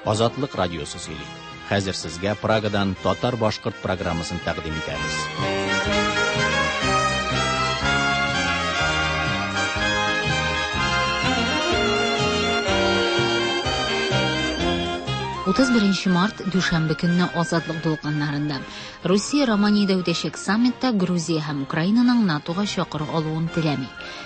Азатлык радиосы сөйли. Хәзер сезгә Прагадан татар-башкорт программасын тәкъдим итәбез. 31 март, дүшәмбе көнне Азатлык дулкыннарында. Русия Романиядә үтәчәк саммитта Грузия һәм Украинаның НАТОга чакыру алуын теләми.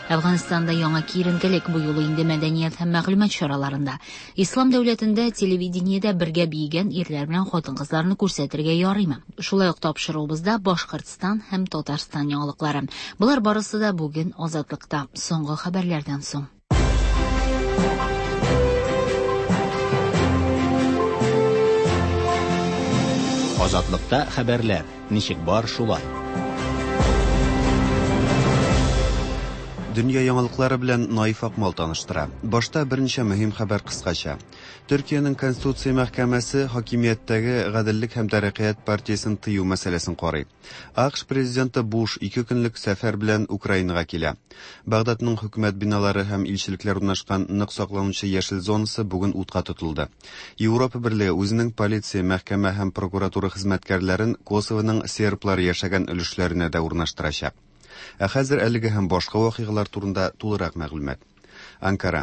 Әфганстанда яңа киеренкелек, бу юлы инде мәдәният һәм мәгълүмат чараларында. Ислам дәүләтендә телевидениедә бергә биегән ирләр белән хатын-кызларны күрсәтергә ярыймы? Шулай ук тапшыруыбызда Башкортстан һәм Татарстан яңалыклары. Болар барысы да бүген Азатлыкта. Соңгы хәбәрләрдән соң. Азатлыкта хәбәрләр. Ничек бар, шулай. Дөнья яңалыклары белән Наиф Акмал таныштыра. Башта берничә мөһим хәбәр кыскача. Төркиянең Конституция мәхкәмәсе хакимияттәге Гаделлек һәм тәрәккыять партиясен тыю мәсьәләсен карый. АКШ президенты Буш ике көнлек сәфәр белән Украинага килә. Багдадның хөкүмәт биналары һәм илчелекләр урнашкан нык сакланучы яшел зонасы бүген утка тотылды. Европа Берлеге үзенең полиция, мәхкәмә һәм прокуратура хезмәткәрләрен Косовоның серблар яшәгән өлешләренә дә урнаштырачак. Ә хәзер әлеге һәм башка вакыйгалар турында тулырак мәгълүмат. Анкара.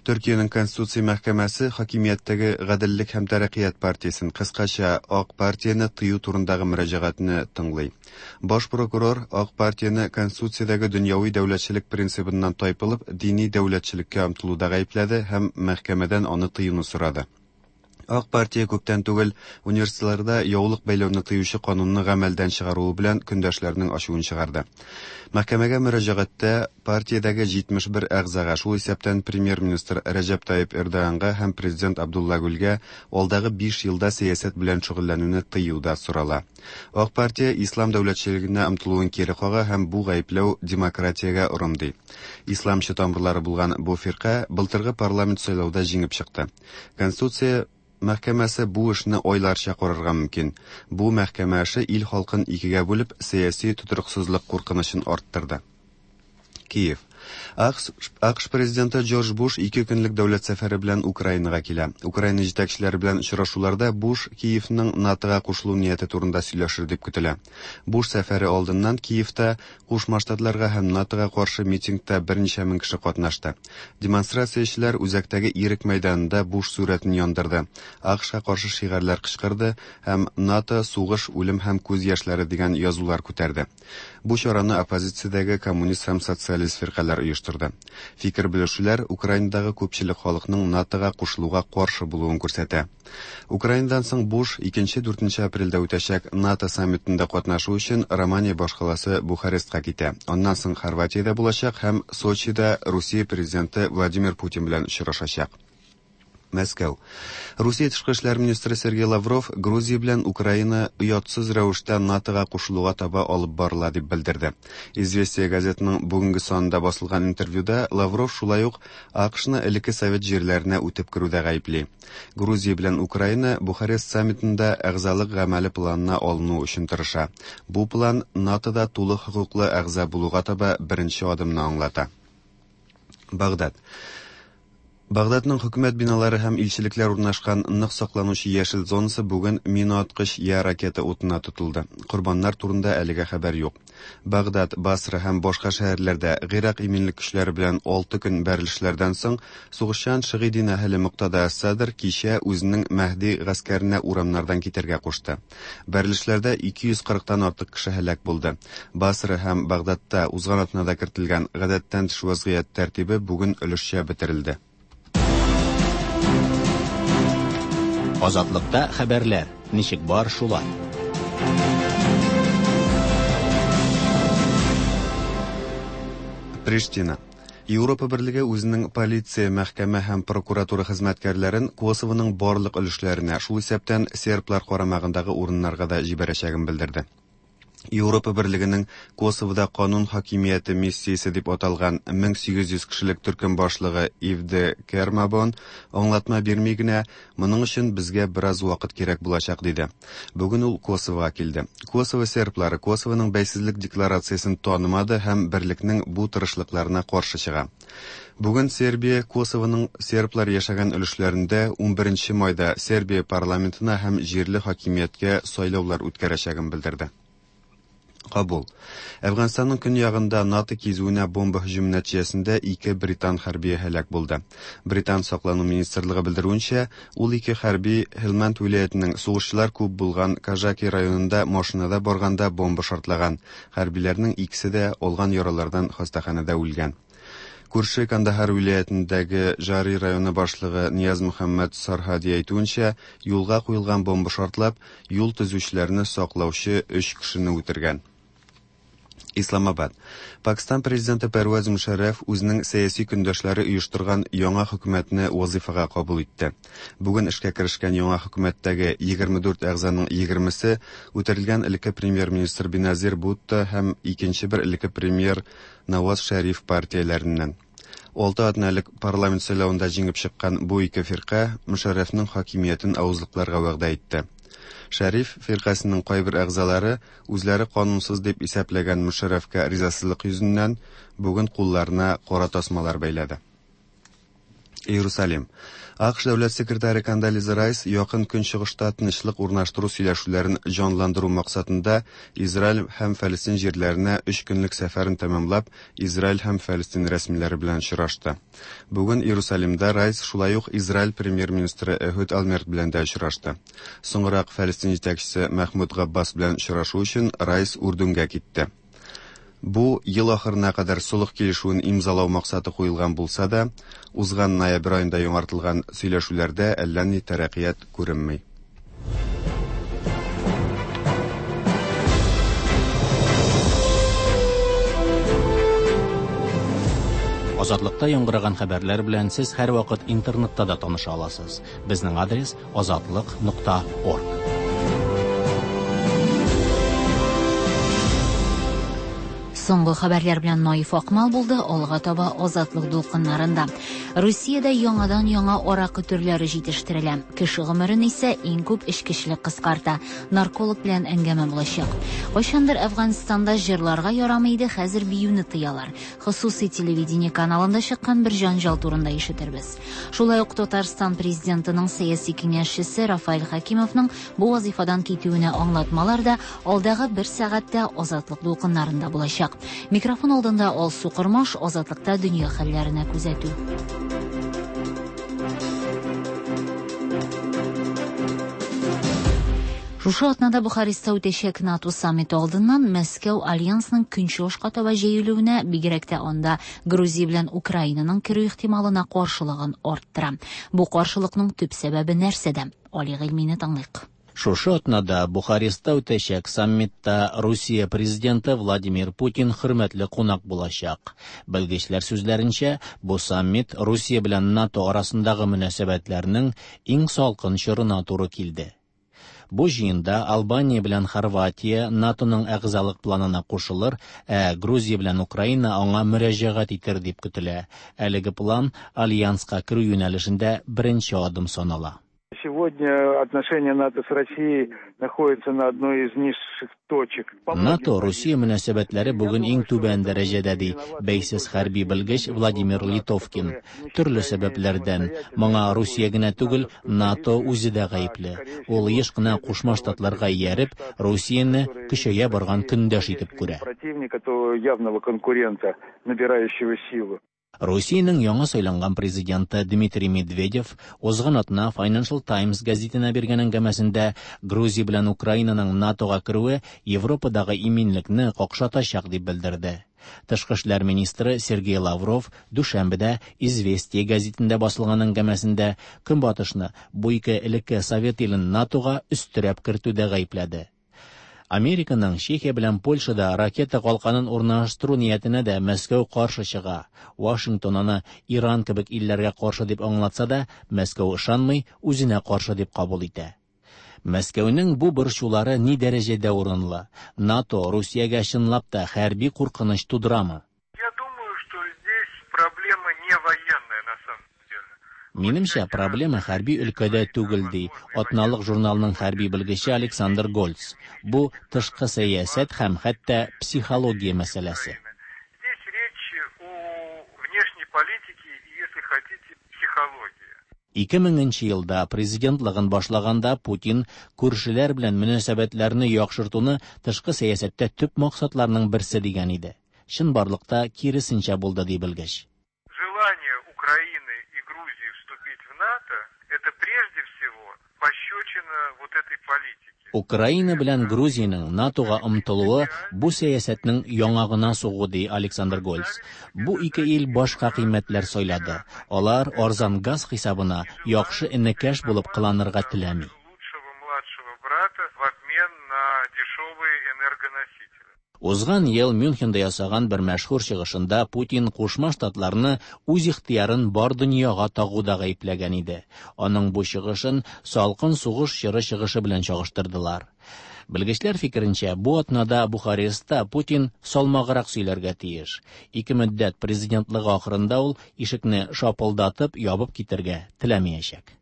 Төркиянең Конституция мәхкәмәсе хакимияттәге Гаделлек һәм тәрәккыять партиясен, кыскача Ак партияне тыю турындагы мөрәҗәгатьне тыңлый. Баш прокурор Ак партияне Конституциядәге дөньяви дәүләтчелек принцибыннан тайпылып, дини дәүләтчелеккә омтылуда гаепләде һәм мәхкәмәдән аны тыюны сорады. Ак партия күптән түгел университетларда яулык бәйләүне тыючы канунны гамәлдән чыгаруы белән көндәшләренең ачуын чыгарды. Мәхкәмәгә мөрәҗәгатьтә партиядәге 71 әгъзага, шул исәптән премьер-министр Рәҗәп Тайип Эрдоганга һәм президент Абдулла Гүлгә алдагы 5 елда сәясәт белән шөгыльләнүне тыю да сорала. Ак партия ислам дәүләтчелегенә омтылуын кире кага һәм бу гаепләү демократиягә орым ди. Исламчы тамырлары булган бу фирка былтыргы парламент сайлауда җиңеп чыкты. Конституция мәхкәмәсе бу эшне айларча карарга мөмкин. Бу мәхкәмә эше ил халкын икегә бүлеп, сәяси тотрыксызлык куркынычын арттырды. Киев. АКШ президенты Джордж Буш ике көнлек дәүләт сәфәре белән Украинага килә. Украина җитәкчеләре белән очрашуларда Буш Киевның НАТОга кушылу нияте турында сөйләшер дип көтелә. Буш сәфәре алдыннан Киевта Кушма Штатларга һәм НАТОга каршы митингта берничә мең кеше катнашты. Демонстрациячеләр үзәктәге Ирек мәйданында Буш сурәтен яндырды, АКШка каршы шигарьләр кычкырды һәм НАТО, сугыш, үлем һәм күз яшьләре дигән язулар күтәрде. Бу чараны оппозициядәге коммунист һәм социалист фиркаләр оештырды. Фикер белешүләр Украинадагы күпчелек халыкның НАТОга кушылуга каршы булуын күрсәтә. Украинадан соң Буш 2-4 апрельдә үтәчәк НАТО саммитында катнашу өчен Романия башкаласы Бухарестка китә. Аннан соң Хорватиядә булачак һәм Сочида Русия президенты Владимир Путин белән очрашачак. Мәскәү. Русия тышкы эшләр министры Сергей Лавров Грузия белән Украина оятсыз рәвештә НАТОга кушылуга таба алып барыла дип белдерде. Известия газетының бүгенге санында басылган интервьюда Лавров шулай ук АКШны элекке совет җирләренә үтеп керүдә гаепли. Грузия белән Украина Бухарест саммитында әгъзалык гамәле планына алыну өчен тырыша. Бу план НАТОда тулы хокуклы әгъза булуга таба беренче адымны аңлата. Багдад. Багдадның хөкүмәт биналары һәм илчелекләр урнашкан нык сакланучы яшел зонасы бүген минааткыч я ракета утына тотылды. Корбаннар турында әлегә хәбәр юк. Багдад, Басра һәм башка шәһәрләрдә Гыйрак иминлек көчләре белән 6 көн бәрелешләрдән соң сугышчан шигый дин әһеле Муктада әс-Садр кичә үзенең Мәһди гаскәренә урамнардан китәргә кушты. Бәрелешләрдә 240 тан артык кеше һәлак булды. Басра һәм Багдадта узган атнада кертелгән гадәттән тыш вазгыять тәртибе бүген өлешчә бетерелде. Азатлыкта хәбәрләр. Ничек бар, шулай. Приштина. Европа Берлеге үзенең полиция, мәхкәмә һәм прокуратура хезмәткәрләрен Косовоның барлык өлешләренә, шул исәптән серблар карамагындагы урыннарга да җибәрәчәген белдерде. Европа Берлегенең Косовода канун хакимияте миссиясе дип аталган 1800 кешелек төркем башлыгы Ив де Кермабон аңлатма бирми генә, моның өчен безгә бераз вакыт кирәк булачак, диде. Бүген ул Косовога килде. Косово серблары Косовоның бәйсезлек декларациясен танымады һәм берлекнең бу тырышлыкларына каршы чыга. Бүген Сербия Косовоның серблар яшәгән өлешләрендә 11 майда Сербия парламентына һәм җирле хакимияткә сайлаулар үткәрәчәген белдерде. Кабул. Әфганстанның көньягында НАТО кизүенә бомба һөҗүме нәтиҗәсендә ике британ хәрбие һәлак булды. Британ саклану министрлыгы белдерүенчә, ул ике хәрби Һелмәнд вилаятенең сугышчылар күп булган Кажаки районында машинада барганда бомба шартлаган. Хәрбиләрнең икесе дә алган яралардан хастаханәдә үлгән. Күрше Кандахар вилаятендәге Жари районы башлыгы Нияз Мөхәммәд Сарһади әйтүенчә, юлга куелган бомба шартлап, юл төзүчеләрне саклаучы өч кешене үтергән. Исламабад. Пакстан президенты Пәрвәз Мөшәррәф үзенең сәяси көндәшләре оештырган яңа хөкүмәтне вазыйфага кабул итте. Бүген эшкә керешкән яңа хөкүмәттәге 24 әгъзаның 20-се үтерелгән элекке премьер-министр Беназир Бутто һәм икенче бер элекке премьер Наваз Шәриф партияләреннән. Алты атна элек парламент сайлавында җиңеп чыккан бу ике фирка Мөшәррәфнең хакимиятен авызлыкларга вәгъдә итте. Шәриф фиркасының кайбер әгъзалары үзләре канунсыз дип исәпләгән Мөшәррәфкә ризасызлык йөзеннән бүген кулларына кара тасмалар бәйләде. Иерусалим. АКШ дәүләт секретаре Кондолиза Райс якын көнчыгышта тынычлык урнаштыру сөйләшүләрен җанландыру максатында Израиль һәм Фәлестин җирләренә өч көнлек сәфәрен тәмамлап, Израиль һәм Фәлестин рәсмиләре белән очрашты. Бүген Иерусалимда Райс шулай ук Израиль премьер-министры Эхуд Олмерт белән дә очрашты. Соңрак Фәлестин җитәкчесе Мәхмүд Габбас белән очрашу өчен Райс Үрдүнгә китте. Бу ел ахырына кадәр солых килешүен имзалау максаты куелган булса да, узган ноябрь аенда яңартылган сөйләшүләрдә әллә ни тәрәкыять күренми. Азатлыкта яңгыраган хәбәрләр белән сез һәрвакыт интернетта да таныша аласыз. Безнең адрес азатлык.орг. Соңгы хәбәрләр белән Наиф Акмал булды, алга таба Азатлык дулкыннарында. Русиядә яңадан-яңа аракы төрләре җитештерелә. Кеше гомерен исә иң күп эчкечелек кыскарта. Нарколог белән әңгәмә булачак. Кайчандыр Әфганстанда җырларга ярамый иде, хәзер биюне тыялар. Хосусый телевидение каналында чыккан бер җанҗал турында ишетербез. Шулай ук Татарстан президентының сәяси киңәшчесе Рафаэль Хәкимовның бу вазифадан китүенә аңлатмалар да алдагы бер сәгатьтә Азатлык дулкыннарында булачак. Микрофон алдында Алсу Кормаш, Азатлыкта дөнья хәлләренә күзәтү. Шушы атнада Бухарестта үтәчәк НАТО саммиты алдыннан Мәскәү альянсның көнчыгышка таба җәелүенә, бигрәк тә анда Грузия белән Украинаның керү ихтималына каршылыгын арттыра. Бу каршылыкның төп сәбәбе нәрсәдә? Али Гыйльмине тыңлыйк. Шушы атнада Бухарестта үтәчәк саммитта Русия президенты Владимир Путин хөрмәтле кунак булачак. Белгечләр сүзләренчә, бу саммит Русия белән НАТО арасындагы мөнәсәбәтләрнең иң салкын чорына туры килде. Бу җыенда Албания белән Хорватия НАТОның әгъзалык планына кушылыр, ә Грузия белән Украина аңа мөрәҗәгать итер дип көтелә. Әлеге план альянска керү юнәлешендә беренче адым санала. Сегодня отношения НАТО с Россией находятся на одной из низших точек. НАТО Русия мөнәсәбәтләре бүген иң түбән дәрәҗәдә ди бәйсез хәрби белгеч Владимир Литовкин. Төрле сәбәпләрдән моңа Русия генә түгел, НАТО үзе дә гаепле. Ул еш кына Кушма Штатларга ияреп, Русияне көчәя барган көндәш итеп күрә. Противника, то явного конкурента, набирающего силу. Русиянең яңа сайланган президенты Дмитрий Медведев узган атна Financial Times гәзитенә биргән әңгәмәсендә Грузия белән Украинаның НАТОга керүе Европадагы иминлекне какшатачак дип белдерде. Тышкы эшләр министры Сергей Лавров дүшәмбедә Известия гәзитендә басылган әңгәмәсендә Көнбатышны бу ике элекке совет илен НАТОга өстерәп кертүдә гаепләде. Американың Чехия белән Польшада ракета калканын урнаштыру ниятенә дә Мәскәү каршы чыга. Вашингтон аны Иран кебек илләргә каршы дип аңлатса да, Мәскәү ышанмый, үзенә каршы дип кабул итә. Мәскәүнең бу борчулары ни дәрәҗәдә урынлы? НАТО Русиягә чынлап та хәрби куркыныч тудырамы? Я думаю, что здесь проблема не военная на самом деле. Минемчә, проблема хәрби өлкәдә түгел, ди атналык журналның хәрби белгече Александр Гольц. Бу тышкы сәясәт һәм хәтта психология мәсьәләсе. Здесь речь о внешней политике и, если хотите, психологии. 2000 елда президентлыгын башлаганда Путин күршеләр белән мөнәсәбәтләрне яхшыртуны тышкы сәясәттә төп максатларның берсе дигән иде. Чынбарлыкта киресенчә булды, ди белгеч. Желание Украины и Грузии вступить в НАТО – это прежде всего пощечина вот этой политике. Украина белән Грузиянең НАТОга омтылуы бу сәясәтнең яңагына сугу, ди Александр Гольц. Бу ике ил башка кыйммәтләр сайлады. Алар арзан газ хисабына яхшы энекәш булып кыланырга теләми. Лучшего младшего брата в обмен на дешевые энергоносители. Узган ел Мюнхенда ясаган бер мәшһүр чыгышында Путин Кушма Штатларны үз ихтыярын бар дөньяга тагуда гаепләгән иде. Аның бу чыгышын салкын сугыш чоры чыгышы белән чагыштырдылар. Белгечләр фикеренчә, бу атнада Бухарестта Путин салмаграк сөйләргә тиеш. Ике мөддәт президентлыгы ахырында ул ишекне шапылдатып ябып китәргә теләмәячәк.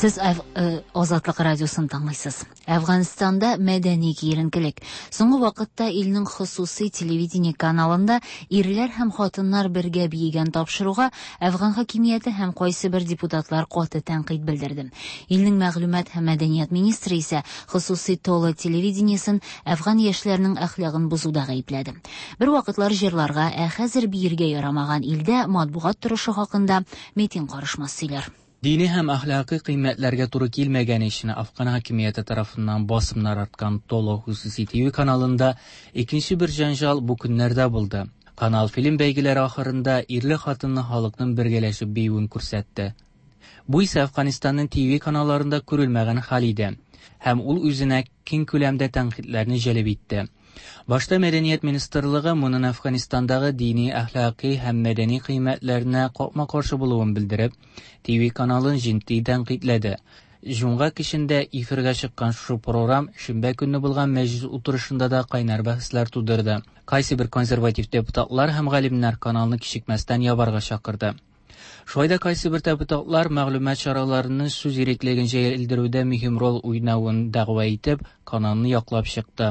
Сез Азатлык радиосын тыңлыйсыз. Әфганстанда мәдәни киеренкелек. Соңгы вакытта илнең хосусый телевидение каналында ирләр һәм хатыннар бергә биегән тапшыруга Әфган хакимияте һәм кайсы бер депутатлар каты тәнкыйть белдерде. Илнең мәгълүмат һәм мәдәният министры исә хосусый Толо телевидениесен әфган яшьләренең әхлагын бозуда гаепләде. Бер вакытлар җырларга, ә хәзер биергә ярамаган илдә матбугат торышы хакында Метин карышмас сөйләр. Дини һәм әхлакый кыйммәтләргә туры килмәгән өчен Афган хакимияте тарафыннан басымнар арткан Толо хосуси ТВ каналында икенче бер җәнҗал бу көннәрдә булды. Канал фильм бәйгеләре ахырында ирле-хатынлы халыкның бергәләшеп биюен күрсәтте. Бу исә Әфганстанның ТВ каналларында күрелмәгән хәл иде һәм ул үзенә киң күләмдә тәнкыйтьләрне җәлеп итте. Башта Мәдәният министрлыгы моның Әфганстандагы дини, әхлакый һәм мәдәни кыйммәтләренә капма-каршы булуын белдереп, ТВ каналын җитди тәнкыйтьләде. Җомга кичендә эфирга чыккан шушы программ шимбә көнне булган мәҗлис утырышында да кайнар бәхәсләр тудырды. Кайсы бер консерватив депутатлар һәм галимнәр каналны кичекмәстән ябарга чакырды. Шулай да кайсы бер депутатлар мәгълүмат чараларының сүз иреклеген җәелдерүдә мөһим роль уйнавын дәгъва итеп, каналны яклап чыкты.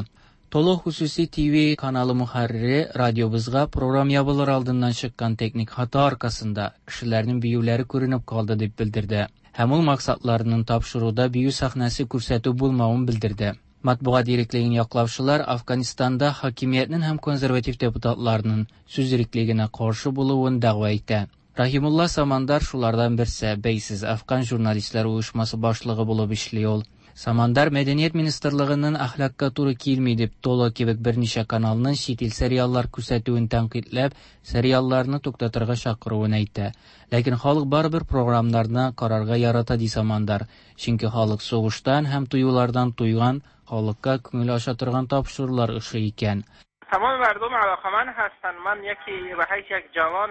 Толо хосуси ТВ каналы мөхәррире радиобызга программ ябылыр алдыннан чыккан техник хата аркасында кешеләрнең биюләре күренеп калды дип белдерде. Һәм ул максатларының тапшыруда бию сәхнәсе күрсәтү булмавын белдерде. Матбугат иреклеген яклаучылар Афганистанда хакимиятнең һәм консерватив депутатларның сүз иреклегенә каршы булуын дәгъва итә. Рахимулла Самандар шулардан берсе, бәйсез Афган журналистлар оешмасы башлыгы булып эшли ул. Самандар Мәдәният министрлыгының әхлакка туры килми дип Толо кебек берничә каналның чит ил сериаллар күрсәтүен тәнкыйтьләп, сериалларны туктатырга чакыруын әйтә. Ләкин халык барыбер програмнарны карарга ярата, ди Самандар. Чөнки халык сугыштан һәм туюлардан туйган, халыкка күңел ача торган тапшырулар ошый икән. تمام مردم علاقمند هستند. من یکی به حیث یک جوان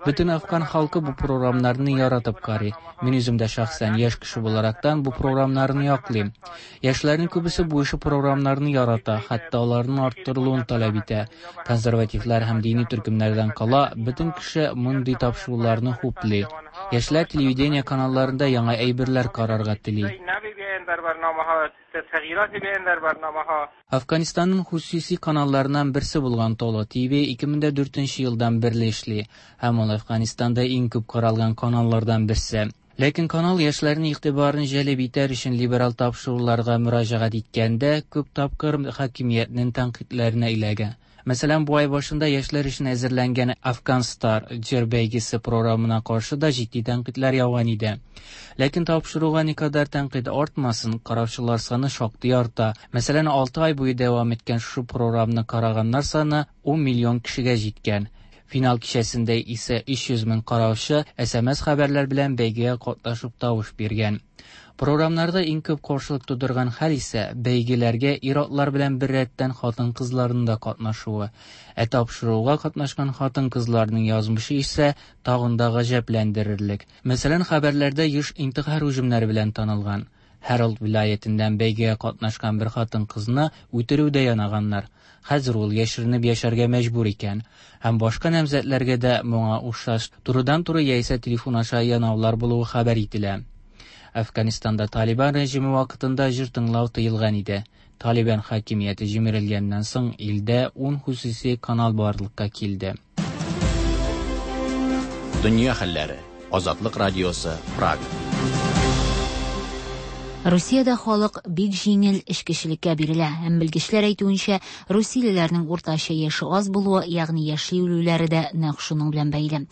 Бөтен афган халкы бу програмнарны яратып карый. Мин үзем дә шәхсән яшь кеше буларактан бу програмнарны яклыйм. Яшьләрнең күбесе бу ише програмнарны ярата, хәтта аларның арттырылуын таләп итә. Консервативлар һәм дини төркемнәрдән кала, бөтен кеше мондый тапшыруларны хуплый. Яшьләр телевидение каналларында яңа әйберләр карарга тели. Афганистанның хосуси каналларыннан берсе булган Толо ТВ 2004 елдан бирле эшли һәм ул Афганистанда иң күп каралган каналлардан берсе. Ләкин канал яшьләрнең игътибарын җәлеп итәр өчен либерал тапшыруларга мөрәҗәгать иткәндә күп тапкыр хакимиятнең тәнкыйтьләренә эләгә. Мәсәлән, бу ай башында яшьләр өчен әзерләнгән Афган Стар җыр бәйгесе програмына каршы да җитди тәнкыйтьләр яуган иде. Ләкин тапшыруга никадәр тәнкыйть артмасын, караучылар саны шактый арта. Мәсәлән, 6 ай буе дәвам иткән шушы програмны караганнар саны 10 миллион кешегә җиткән. Финал кичәсендә исә 300 мең караучы SMS хәбәрләр белән бәйгегә катнашып тавыш биргән. Програмнарда иң күп каршылык тудырган хәл исә бәйгеләргә ир-атлар белән беррәттән хатын-кызларның да катнашуы. Ә тапшыруга катнашкан хатын-кызларның язмышы исә тагын да гаҗәпләндерерлек. Мәсәлән, хәбәрләрдә еш интихар һөҗүмнәре белән танылган Һәралт вилаятеннән бәйгегә катнашкан бер хатын-кызны үтерүдә янаганнар. Хәзер ул яшеренеп яшәргә мәҗбүр икән. Һәм башка намзәтләргә дә моңа охшаш турыдан-туры яисә телефон аша янаулар булуы хәбәр ителә. Әфганстанда Талибан режимы вакытында җыр тыңлау тыелган иде. Талибан хакимияте җимерелгәннән соң илдә 10 хосуси канал барлыкка килде. Дөнья хәлләре. Азатлык радиосы, Прага. Русиядә халык бик җиңел эчкечелеккә бирелә һәм белгечләр әйтүенчә, русиялеләрнең уртача яше аз булуы, ягъни яшьли үлүләре дә нәкъ шуның белән бәйле.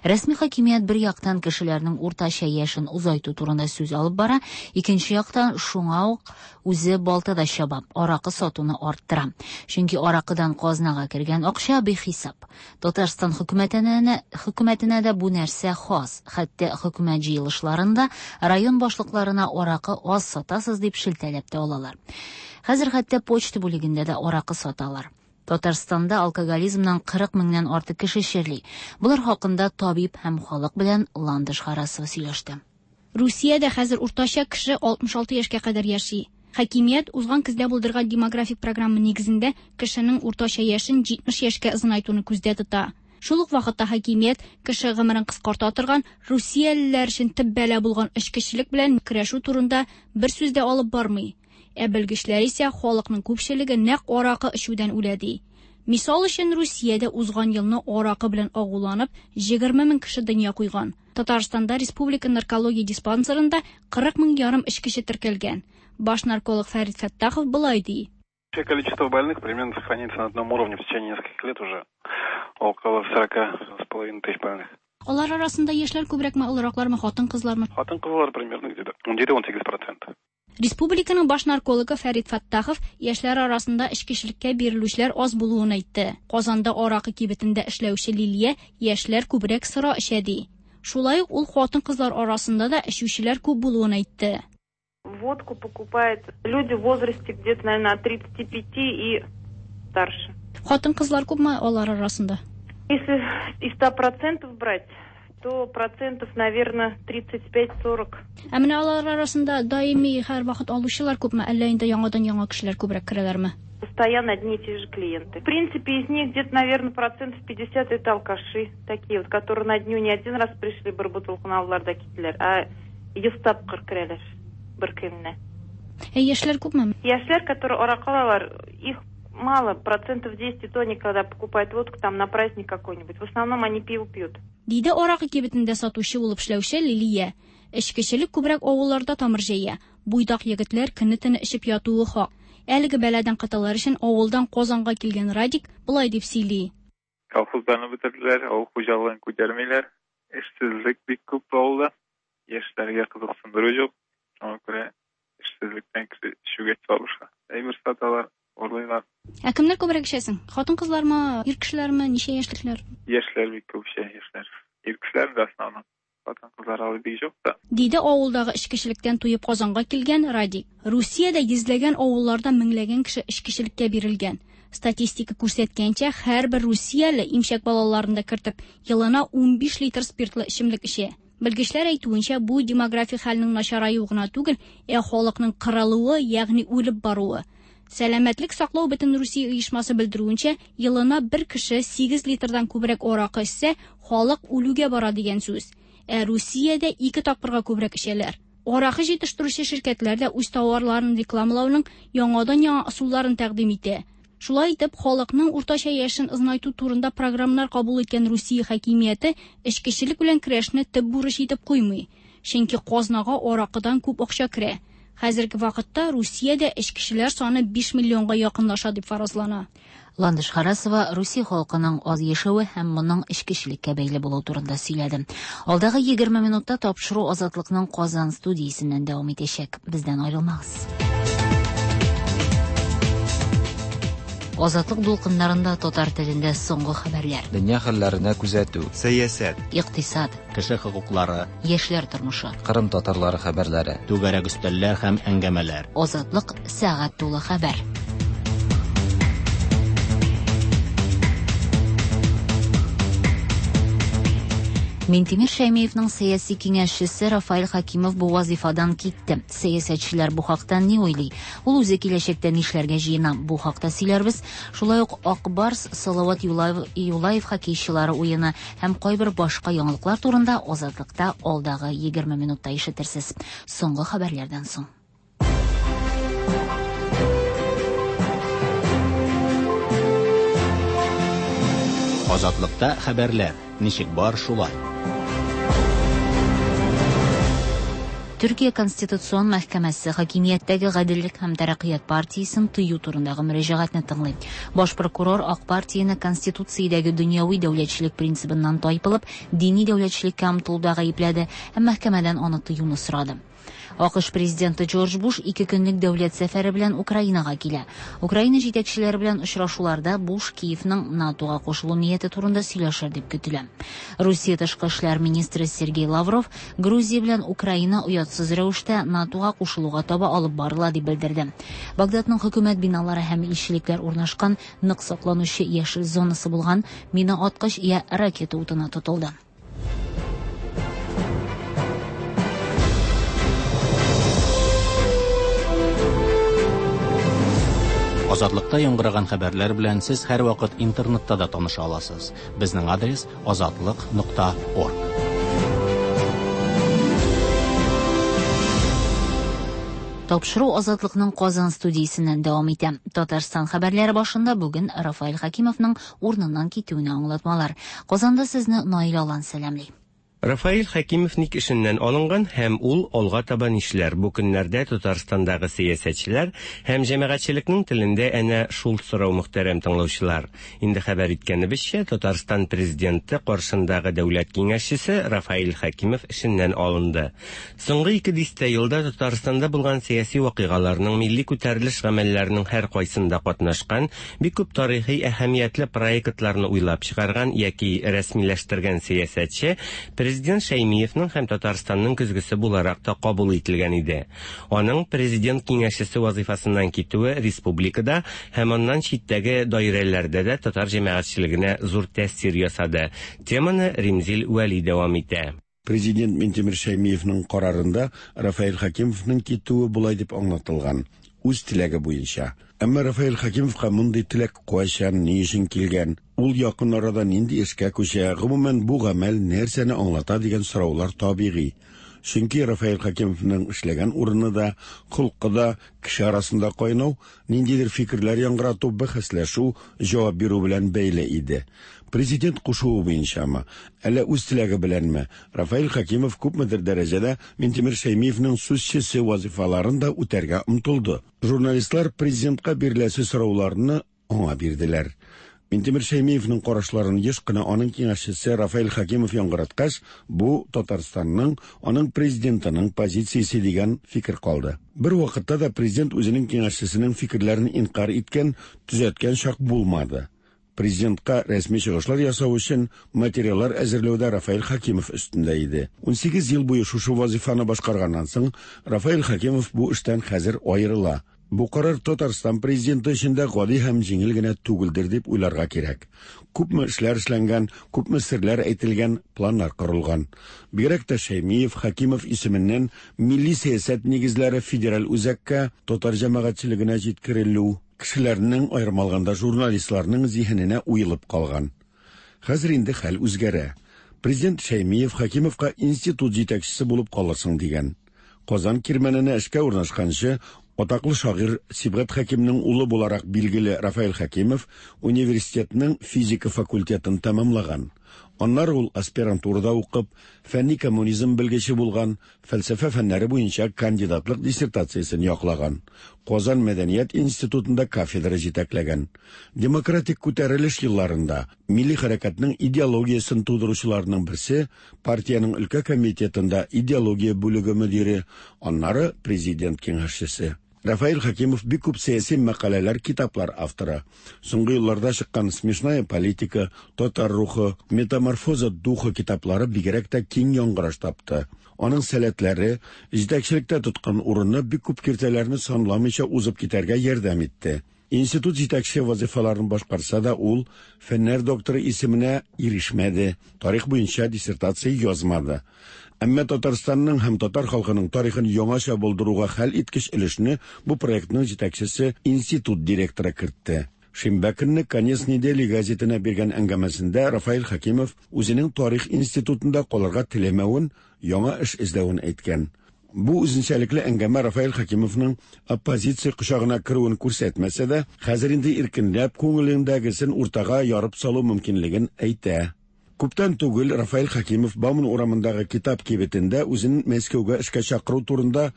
Рәсми хакимият бер яктан кешеләрнең уртача яшен озайту турында сүз алып бара, икенче яктан шуңа ук үзе балта да чаба, аракы сатуны арттыра. Чөнки аракыдан казнага кергән акча бихисап. Татарстан хөкүмәтенә, хөкүмәтенә дә бу нәрсә хас. Хәтта хөкүмәт җыелышларында район башлыкларына аракы аз сатасыз дип шелтәләп тә алалар. Хәзер хәтта почта бүлегендә дә аракы саталар. Татарстанда алкоголизмнан 40 меңнән артык кеше чирли. Болар хакында табиб һәм халык белән Ландыш Харасова сөйләште. Русиядә хәзер уртача кеше 66 яшькә кадәр яши. Хакимият узган көздә булдырган демографик программа нигезендә кешенең уртача яшен 70 яшькә озынайтуны күздә тота. Шул ук вакытта хакимият кеше гомерен кыскарта торган русиялеләр өчен төп бәла булган эчкечелек белән көрәшү турында бер сүз дә алып бармый. Ә белгечләр исә халыкның күпчелеге нәкъ аракы эчүдән үлә ди. Мисал өчен Русиядә узган елны аракы белән агуланып 20 мең кеше дөнья куйган. Татарстанда республика наркология диспансерында 40 мең ярым эчкече теркәлгән. Баш нарколог Фәрит Фәттахов болай ди. Вообще количество больных примерно сохраняется на одном уровне в течение нескольких лет уже. Около 40,5 тысяч больных. Алар арасында яшьләр күбрәкме, олыраклармы, хатын-кызлармы? Хатын-кызлар примерно где-то 17-18%. Республиканың баш наркологы Фәрит Фәттахов яшьләр арасында эчкечелеккә бирелүчеләр аз булуын әйтте. Казанда аракы кибетендә эшләүче Лилия яшьләр күбрәк сыра эчә ди. Шулай ук ул хатын-кызлар арасында да эчүчеләр күп булуын әйтте. Водку покупают люди в возрасте где-то, наверное, от 35 и старше. Хатын-кызлар күпме алар арасында? Если из 100% брать, то процентов, наверное, 35-40. Ә менә алар арасында даими һәрвакыт алучылар күпме, әллә инде яңадан-яңа кешеләр күбрәк керәләрме? Постоянно одни и те же клиенты. В принципе, из них где-то, наверное, процентов 50 это алкаши, такие вот, которые на дню не один раз пришли бер бутылканы алдылар да киттеләр, а 100 тапкыр керәләр бер көнне. Ә яшьләр күпме? Яшьләр, которые аракы алалар, их мало, процентов 10, и то они, когда покупают водку там на праздник какой-нибудь. В основном они пиво пьют. Диде аракы кибетендә сатучы булып эшләүче Лилия. Эчкечелек күбрәк авылларда тамыр җәя. Буйдак егетләр көне-төне эчеп ятуы хак. Әлеге бәладән котылыр өчен авылдан Казанга килгән Радик болай дип сөйли. Колхозларны бетерделәр, авыл хуҗалыгын күтәрмиләр. Эшсезлек бик күп авылда. Яшьләргә кызыксындыру юк. Шуңа күрә эшсезлектән кеше эчүгә сабыша. Әйбер саталар, урлыйлар. Ә кемнәр күбрәк эчәсең? Хатын-кызлармы, ир кешеләрме, ничә яшьлекләр? Яшьләр бик күп эчә, яшьләр. Ир кешеләр дә основном. Хатын-кызлар алай бик юк та. Диде авылдагы эчкечелектән туеп Казанга килгән Радик. Русиядә йөзләгән авылларда меңләгән кеше эчкечелеккә бирелгән. Статистика күрсәткәнчә, һәрбер русияле имчәк балаларын да кертеп, елына 15 литр спиртлы эчемлек эчә. Белгечләр әйтүенчә, бу демографик хәлнең начараюы гына түгел, ә халыкның кырылуы, ягъни үлеп баруы. Сәламәтлек саклау бөтен Русия оешмасы белдерүенчә, елына бер кеше 8 литрдан күбрәк аракы эчсә, халык үлүгә бара дигән сүз. Ә Русиядә 2 тапкырга күбрәк эчәләр. Аракы җитештерүче ширкәтләр дә үз товарларын рекламалауның яңадан-яңа ысулларын тәкъдим итә. Шулай итеп, халыкның уртача яшен озынайту турында программалар кабул иткән Русия хакимияте эчкечелек белән көрәшне төп бурыч итеп куймый. Чөнки казнага аракыдан күп акча керә. Хәзерге вакытта Русиядә эчкечеләр саны 5 миллионга якынлаша дип фаразлана. Ландыш Харасова Русия халкының аз яшәве һәм моның эчкечелеккә бәйле булуы турында сөйләде. Алдагы 20 минутта тапшыру Азатлыкның Казан студиясеннән дәвам итәчәк. Бездән аерылмагыз. Азатлык дулкыннарында татар телендә соңгы хәбәрләр. Дөнья хәлләренә күзәтү. Сәясәт. Икътисад. Кеше хокуклары. Яшьләр тормышы. Кырым татарлары хәбәрләре. Түгәрәк өстәлләр һәм әңгәмәләр. Азатлык сәгать тулы хәбәр. Минтимер Шәймиевның сәяси киңәшчесе Рафаэль Хакимов бу вазифадан китте. Сәясәтчеләр бу хакта ни уйлый? Ул үзе киләчәктә нишләргә җыена? Бу хакта сөйләрбез. Шулай ук Ак Барс, Салават Юлаев, Юлаев хоккейчылары уены һәм кайбер башка яңалыклар турында Азатлыкта алдагы 20 минутта ишетерсез. Соңгы хәбәрләрдән соң. Азатлыкта хәбәрләр. Ничек бар шулай. Төркия Конституцион мәхкәмәсе хакимияттәге Гаделлек һәм тәрәккыят партиясен тыю турындагы мөрәҗәгатьне тыңлый. Баш прокурор Ак партияне Конституциядәге дөньяви дәүләтчелек принцибыннан тайпылып, дини дәүләтчелеккә омтылуда гаепләде һәм мәхкәмәдән аны тыюны сорады. АКШ президенты Джордж Буш ике көнлек дәүләт сәфәре белән Украинага килә. Украина җитәкчеләре белән очрашуларда Буш Киевның НАТОга кушылу нияте турында сөйләшер дип көтелә. Русия тышкы эшләр министры Сергей Лавров Грузия белән Украина оятсыз рәвештә НАТОга кушылуга таба алып барыла дип белдерде. Багдадның хөкүмәт биналары һәм илчелекләр урнашкан нык сакланучы яшел зонасы булган мина аткыч я ракета утына тотылды. Азатлыкта яңгыраган хәбәрләр белән сез һәрвакыт интернетта да таныша аласыз. Безнең адрес azatliq.org. Тапшыру Азатлыкның Казан студиясеннән дәвам итә. Татарстан хәбәрләре башында бүген Рафаэль Хакимовның урыныннан китүенә аңлатмалар. Казанда сезне Наил Алан сәламли. Рафаэль Хәкимов ник эшеннән алынган һәм ул алга таба нишләр? Бу көннәрдә Татарстандагы сәясәтчеләр һәм җәмәгатьчелекнең телендә әнә шул сорау мөхтәрәм тыңлаучылар. Инде хәбәр иткәнебезчә, Татарстан президенты каршындагы дәүләт киңәшчесе Рафаэль Хәкимов эшеннән алынды. Соңгы ике дистә елда Татарстанда булган сәяси вакыйгаларның, милли күтәрелеш гамәлләренең һәр кайсында катнашкан, бик күп тарихи әһәмиятле проектларны уйлап чыгарган яки рәсмиләштергән сәясәтче президент Шәймиевның һәм Татарстанның көзгесе буларак та кабул ителгән иде. Аның президент киңәшчесе вазифасыннан китүе республикада һәм аннан читтәге даирәләрдә дә татар җәмәгатьчелегенә зур тәэсир ясады. Теманы Римзил Вәли дәвам итә. Президент Минтимер Шәймиевның карарында Рафаэль Хакимовның китүе болай дип аңлатылган: үз теләге буенча. Әмма Рафаэль Хакимовка мондый теләк кайчан, ни өчен килгән, ул якын арада нинди эшкә күчә, гомумән бу гамәл нәрсәне аңлата дигән сораулар табигый. Чөнки Рафаэль Хакимовның эшләгән урыны да, холкы да кеше арасында кайнау, ниндидер фикерләр яңгырату, бәхәсләшү, җавап бирү белән бәйле иде. Президент кушуы буенчамы, әллә үз теләге беләнме, Рафаэль Хакимов күпмедер дәрәҗәдә Минтимер Шәймиевның сүзчесе вазифаларын да үтәргә омтылды. Журналистлар президентка биреләсе сорауларны аңа бирделәр. Минтимер Шәймиевның карашларын еш кына аның киңәшчесе Рафаэль Хакимов яңгыраткач, бу Татарстанның, аның президентының позициясе дигән фикер калды. Бер вакытта да президент үзенең киңәшчесенең фикерләрен инкар иткән, төзәткән чак булмады. Президентка рәсми чыгышлар ясау өчен материаллар әзерләүдә Рафаэль Хакимов өстендә иде. 18 ел буе шушы вазифаны башкарганнан соң, Рафаэль Хакимов бу эштән хәзер аерыла. Бу карар Татарстан президенты өчен дә гади һәм җиңел генә түгелдер дип уйларга кирәк. Күпме эшләр эшләнгән, күпме серләр әйтелгән, планнар корылган. Бигрәк тә Шәймиев, Хакимов исеменнән милли сәясәт нигезләре федераль үзәккә, татар җәмәгатьчелегенә җиткерелү, кешеләрнең, аерым алганда журналистларның зиһененә уелып калган. Хәзер инде хәл үзгәрә. Президент Шәймиев Хакимовка институт җитәкчесе булып калырсың дигән. Казан кирмәненә эшкә урнашканчы, атаклы шагыйрь Сибгат Хәкимнең улы буларак билгеле Рафаэль Хәкимов университетның физика факультетын тәмамлаган. Аннары ул аспирантурада укып, фәнни коммунизм белгече булган, фәлсәфә фәннәре буенча кандидатлык диссертациясен яклаган. Казан мәдәният институтында кафедра җитәкләгән. Демократик күтәрелеш елларында милли хәрәкәтнең идеологиясен тудыручыларның берсе, партиянең өлкә комитетында идеология бүлеге мөдире, аннары президент киңәшчесе. Рафаэль Хәкимов бик күп сәяси мәкаләләр, китаплар авторы. Соңгы елларда чыккан Смешная политика, Татар рухы, Метаморфоза духа китаплары бигрәк тә киң яңгыраш тапты. Аның сәләтләре, җитәкчелектә тоткан урыны бик күп киртәләрне санламыйча узып китәргә ярдәм итте. Институт җитәкче вазифаларын башкарса да, ул фәннәр докторы исеменә ирешмәде, тарих буенча диссертация язмады. Әмма Татарстанның һәм татар халкының тарихын яңача булдыруга хәл иткеч өлешне бу проектның җитәкчесе институт директоры кертте. Шимбә көнне Конец недели газетына биргән әңгәмәсендә Рафаэль Хәкимов үзенең тарих институтында калырга теләмәвен, яңа эш эзләвен әйткән. Бу үзенчәлекле әңгәмә Рафаэль Хәкимовның оппозиция кочагына керүен күрсәтмәсә дә, хәзер инде иркенләп күңелендәгесен уртага ярып салу мөмкинлеген әйтә. Күптән түгел Рафаэль Хәкимов Бауман урамындагы китап кибетендә үзен Мәскәүгә эшкә чакыру турында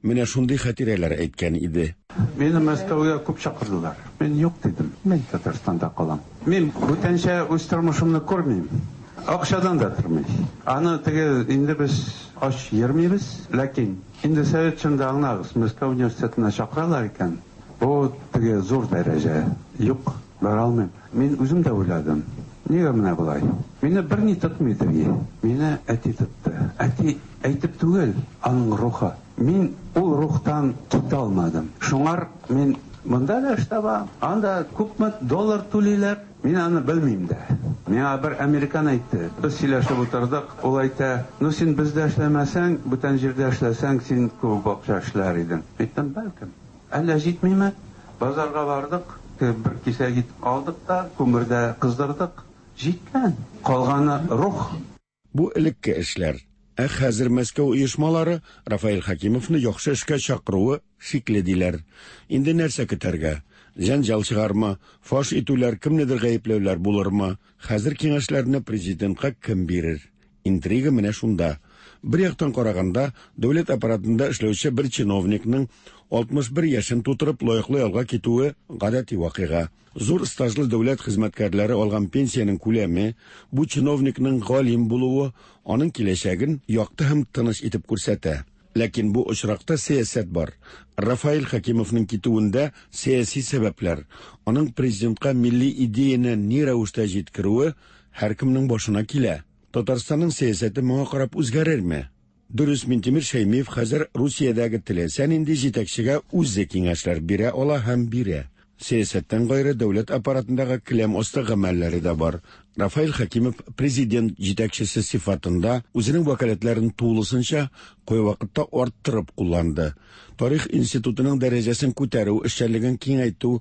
менә шундый хатирәләр әйткән иде. Мине Мәскәүгә күп чакырдылар. Мин юк дидем. Мин Татарстанда калам. Мин бүтәнчә үз тормышымны күрмим. Акчадан да тормый. Аны теге инде без ач йөрмибез, ләкин инде совет чорында аңлагыз, Мәскәү университетына чакыралар икән, бу теге зур дәрәҗә. Юк, бара алмыйм. Мин үзем дә уйладым, нигә менә болай? Мине берни тотмый теге. Мине әти тотты. Әти әйтеп түгел, аның рухы. Мин ул рухтан китә алмадым. Шуңар мин монда да эш табам, анда күпме доллар түлиләр, мин аны белмим дә. Миңа бер американ әйтте. Без сөйләшеп утырдык, ул әйтә, ну син бездә эшләмәсәң, бүтән җирдә эшләсәң, син күп акча эшләр идең. Әйттем, бәлкем. Әллә җитмиме? Базарга бардык, бер кисәк ит алдык та, күмердә кыздырдык. Җиткән. Калганы рух. Бу элекке эшләр. Ә хәзер Мәскәү оешмалары Рафаэль Хәкимовны яхшы эшкә чакыруы шикле диләр. Инде нәрсә көтәргә? Җәнҗал чыгармы? Фаш итүләр, кемнедер гаепләүләр булырмы? Хәзер киңәшләрне президентка кем бирер? Интрига менә шунда. Бер яктан караганда, дәүләт аппаратында эшләүче бер чиновникның 61 яшен тутырып лаеклы ялга китүе гадәти вакыйга. Зур стажлы дәүләт хезмәткәрләре алган пенсиянең күләме, бу чиновникның галим булуы аның киләчәген якты һәм тыныч итеп күрсәтә. Ләкин бу очракта сәясәт бар. Рафаэль Хәкимовның китүендә сәяси сәбәпләр, аның президентка милли идеяне ни рәвештә җиткерүе һәркемнең башына килә. Татарстанның сәясәте моңа карап үзгәрерме? Дөрес, Минтимер Шәймиев хәзер Русиядәге теләсә нинди җитәкчегә үзе киңәшләр бирә ала һәм бирә. Сәясәттән гайре дәүләт аппаратындагы келәм асты гамәлләре дә бар. Рафаэль Хәкимов президент җитәкчесе сыйфатында үзенең вәкаләтләрен тулысынча, кайвакытта арттырып кулланды. Тарих институтының дәрәҗәсен күтәрү, эшчәнлеген киңәйтү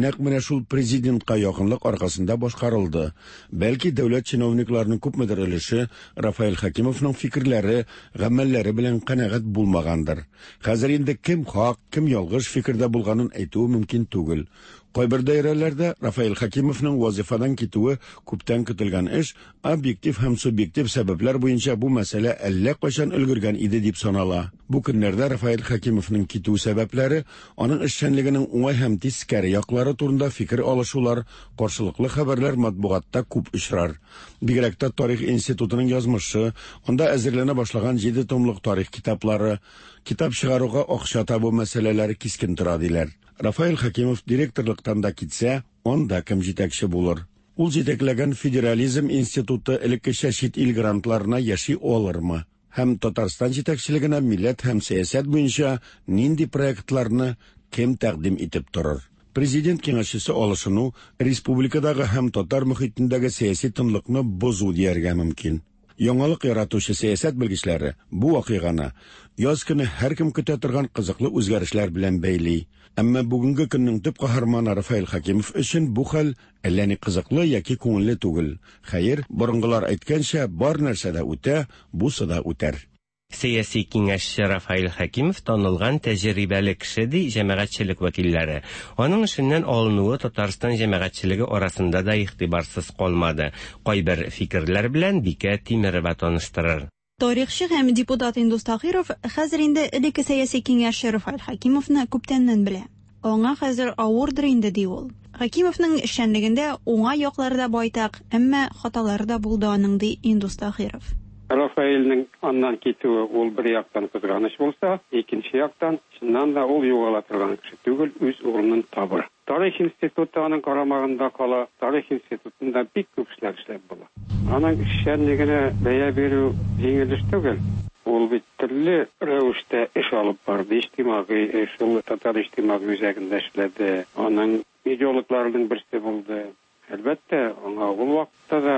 нәкъ менә шул президентка якынлык аркасында башкарылды. Бәлки дәүләт чиновникларының күпмедер өлеше Рафаэль Хәкимовның фикерләре, гамәлләре белән канәгать булмагандыр. Хәзер инде кем хак, кем ялгыш фикердә булганын әйтүе мөмкин түгел. Кайбер даирәләрдә Рафаэль Хәкимовның вазифадан китүе күптән көтелгән эш, объектив һәм субъектив сәбәпләр буенча бу мәсьәлә әллә кайчан өлгергән иде дип санала. Бу көннәрдә Рафаэль Хәкимовның китү сәбәпләре, аның эшчәнлегенең уңай һәм тискәре яклары турында фикер алышулар, каршылыклы хәбәрләр матбугатта күп очрар. Бигрәк тә Тарих институтының язмышы, анда әзерләнә башлаган 7 томлык тарих китаплары, китап чыгаруга акча табу мәсьәләләре кискен тора диләр. Рафаэль Хәкимов директорлыктан да китсә, анда кем җитәкче булыр? Ул җитәкләгән Федерализм институты элеккечә чит ил грантларына яши алырмы? Һәм Татарстан җитәкчелегенә милләт һәм сәясәт буенча нинди проектларны кем тәкъдим итеп торыр? Президент киңәшчесе алышыну республикадагы һәм татар мөхитендәге сәяси тынлыкны бозу дияргә мөмкин. Яңалык яратучы сәясәт белгечләре бу вакыйганы яз көне һәркем көтә торган кызыклы үзгәрешләр белән бәйли. Әмма бүгенге көннең төп каһарманы Рафаэль Хәкимов өчен бу хәл әллә ни кызыклы яки күңелле түгел. Хәер, борынгылар әйткәнчә, бар нәрсә дә үтә, бусы да үтәр. Сәяси киңәшче Рафаэль Хәкимов танылган тәҗрибәле кеше, ди җәмәгатьчелек вәкилләре. Аның эшеннән алынуы Татарстан җәмәгатьчелеге арасында да игътибарсыз калмады. Кайбер фикерләр белән Бикә Тимерова таныштырыр. Тарихчы һәм депутат Индус Таһиров хәзер инде элекке сәяси киңәшче Рафаэль Хәкимовны күптәннән белә. Аңа хәзер авырдыр инде, ди ул. Хәкимовның эшчәнлегендә уңай яклары да байтак, әмма хаталары да булды аның, ди Индус Таһиров. Рафаэльнең аннан китүе ул бер яктан кызганыч булса, икенче яктан, чыннан да ул югала торган кеше түгел, үз урынын табыр. Тарих институты аның карамагында кала, Тарих институтында бик күп эшләр эшләп була. Аның эшчәнлегенә бәя бирү җиңел эш түгел. Ул бит төрле рәвештә эш алып барды, иҗтимагый эш, ул Татар иҗтимагый үзәгендә эшләде, аның идеологларының берсе булды. Әлбәттә, аңа ул вакытта да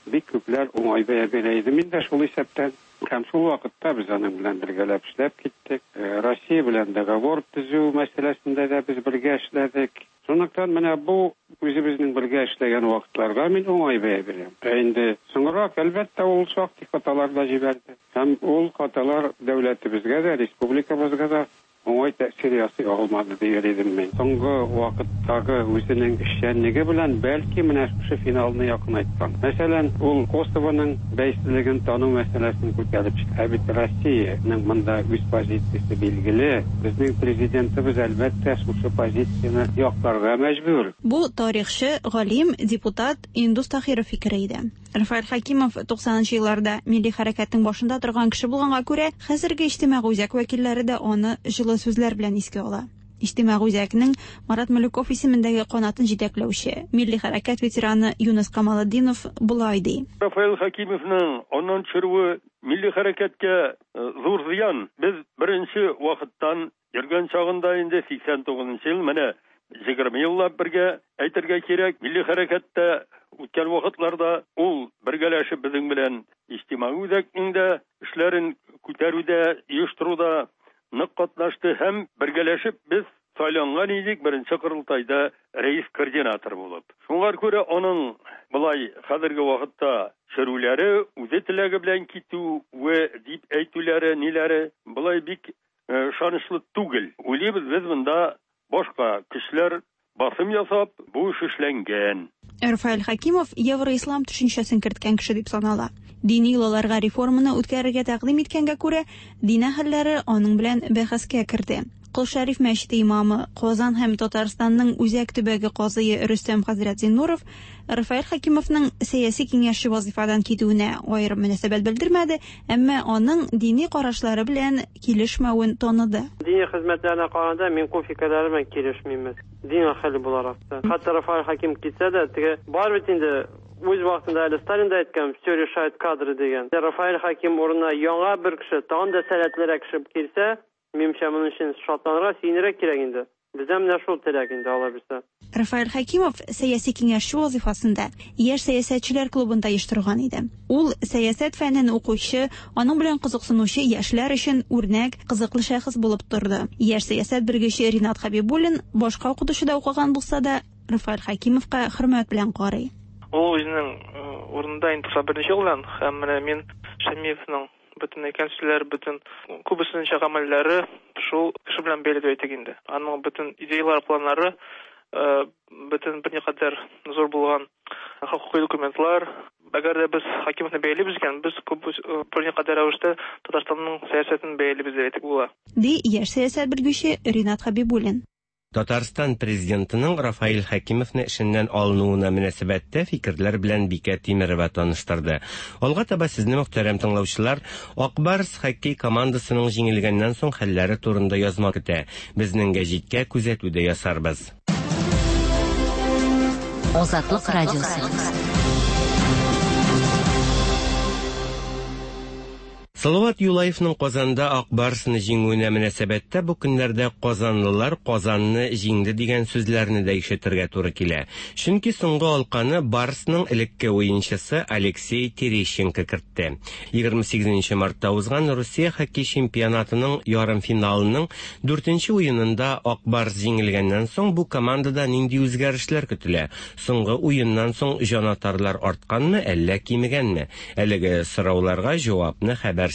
бик күпләр уңай бәя бирә иде. Мин дә шул исәптән. Һәм шул вакытта без аның белән бергәләп эшләп киттек. Россия белән договор төзү мәсьәләсендә дә без бергә эшләдек. Шунлыктан менә бу үзебезнең бергә эшләгән вакытларга мин уңай бәя бирәм. Ә инде соңрак, әлбәттә, ул шактый хаталар да җибәрде. Һәм ул хаталар дәүләтебезгә дә, республикабызга да уңай тәэсир ясый алмады дияр идем мин. Соңгы вакыттагы үзенең эшчәнлеге белән, бәлки, менә шушы финалны якынайткан. Мәсәлән, ул Косовоның бәйсезлеген тану мәсьәләсен күтәреп чыкты. Ә бит Россиянең монда үз позициясе билгеле. Безнең Президентыбыз, әлбәттә, шушы позицияне якларга мәҗбүр. Бу тарихчы, галим, депутат Индус Таһиров фикере иде. Рафаэль Хәкимов 90 нчы елларда милли хәрәкәтнең башында торган кеше булганга күрә, хәзерге Иҗтимагый үзәк вәкилләре дә аны җылы сүзләр белән искә ала. Иҗтимагый үзәкнең Марат Малюков исемендәге канатын җитәкләүче, милли хәрәкәт ветераны Юныс Камалетдинов болай ди. Рафаэль Хәкимовның аннан төшерүе милли хәрәкәткә зур зыян. Без беренче вакыттан Йөргән чагында инде 89 нчы ел, менә 20 еллап бергә, әйтергә кирәк, милли хәрәкәттә үткән вакытларда ул бергәләшеп безнең белән иҗтимагый үзәкнең дә эшләрен күтәрүдә, оештыруда нык катнашты һәм бергәләшеп без сайланган идек беренче корылтайда рәис-координатор булып. Шуңар күрә аның болай хәзерге вакытта чөрүләре, үзе теләге белән китүе дип әйтүләре, ниләре болай бик Ышанычлы түгел. Уйлыйбыз, без монда башка көчләр басым ясап, бу эш эшләнгән. Рафаэль Хәкимов евроислам төшенчәсен керткән кеше дип санала. Дини йолаларга реформаны үткәрергә тәкъдим иткәнгә күрә, дин әһелләре аның белән бәхәскә керде. Кол Шәриф мәчете имамы, Казан һәм Татарстанның Үзәк төбәге казые Рөстәм хәзрәт Зиннуров Рафаэль Хәкимовның сәяси киңәшче вазыйфадан китүенә аерым мөнәсәбәт белдермәде, Әмма аның дини карашлары белән килешмәвен таныды. Дини хезмәтләренә караганда, мин күп фикерләре белән килешмим. Дин әһеле буларак та. Хәтта Рафаэль Хәкимов китсә дә, теге бар бит инде үз вакытында әле Сталин да әйткән, все решают кадры дигән. Рафаэль Хәким урынына яңа бер кеше, тагын да сәләтлерәк кеше килсә, Минемчә, моның өчен шатланырга, сөенергә кирәк инде. Бездә менә шул теләк инде, Алла бирсә. Рафаэль Хәкимов сәяси киңәшче вазыйфасында Яшь сәясәтчеләр клубын да оештырган иде. Ул сәясәт фәнен укучы, аның белән кызыксынучы яшьләр өчен үрнәк, кызыклы шәхес булып торды. Яшь сәясәт белгече Ринат Хәбибуллин башка укытучыда укыган булса да, Рафаэль Хәкимовка хөрмәт белән карый. Ул үзенең урынында инде 91 нче елдан һәм менә мин Шәймиевның Бөтен әйткән сүзләр, бөтен күбесенчә гамәлләре шул кеше белән бәйле дип әйтик инде. Аның бөтен идеялары, планнары, э, бөтен берникадәр зур булган хокукый документлар. Әгәр дә без Хакимовны бәялибез икән, без күп э, берникадәр рәвештә Татарстанның сәясәтен бәялибез дип әйтик була. Ди яшь сәясәт белгече Ринат Хәбибуллин. Татарстан Президентының Рафаэль Хәкимовны эшеннән алынуына мөнәсәбәттә фикерләр белән Бикә Тимерова таныштырды. Алга таба сезне, мөхтәрәм тыңлаучылар, Ак Барс хоккей командасының җиңелгәннән соң хәлләре турында язма көтә. Безнең гәҗиткә күзәтү дә ясарбыз. Азатлык радиосы. Салават Юлаевның Казанда Ак Барсны җиңүенә мөнәсәбәттә бу көннәрдә казанлылар Казанны җиңде дигән сүзләрне дә ишетергә туры килә. Чөнки соңгы алканы Барсның элекке уенчысы Алексей Терещенко кертте. 28 нче мартта узган Русия хоккей чемпионатының ярымфиналының дүртенче уенында Ак Барс җиңелгәннән соң бу командада нинди үзгәрешләр көтелә? Соңгы уеннан соң җанатарлар артканмы, әллә кимегәнме? Әлеге сорауларга җавапны хәбәрчебез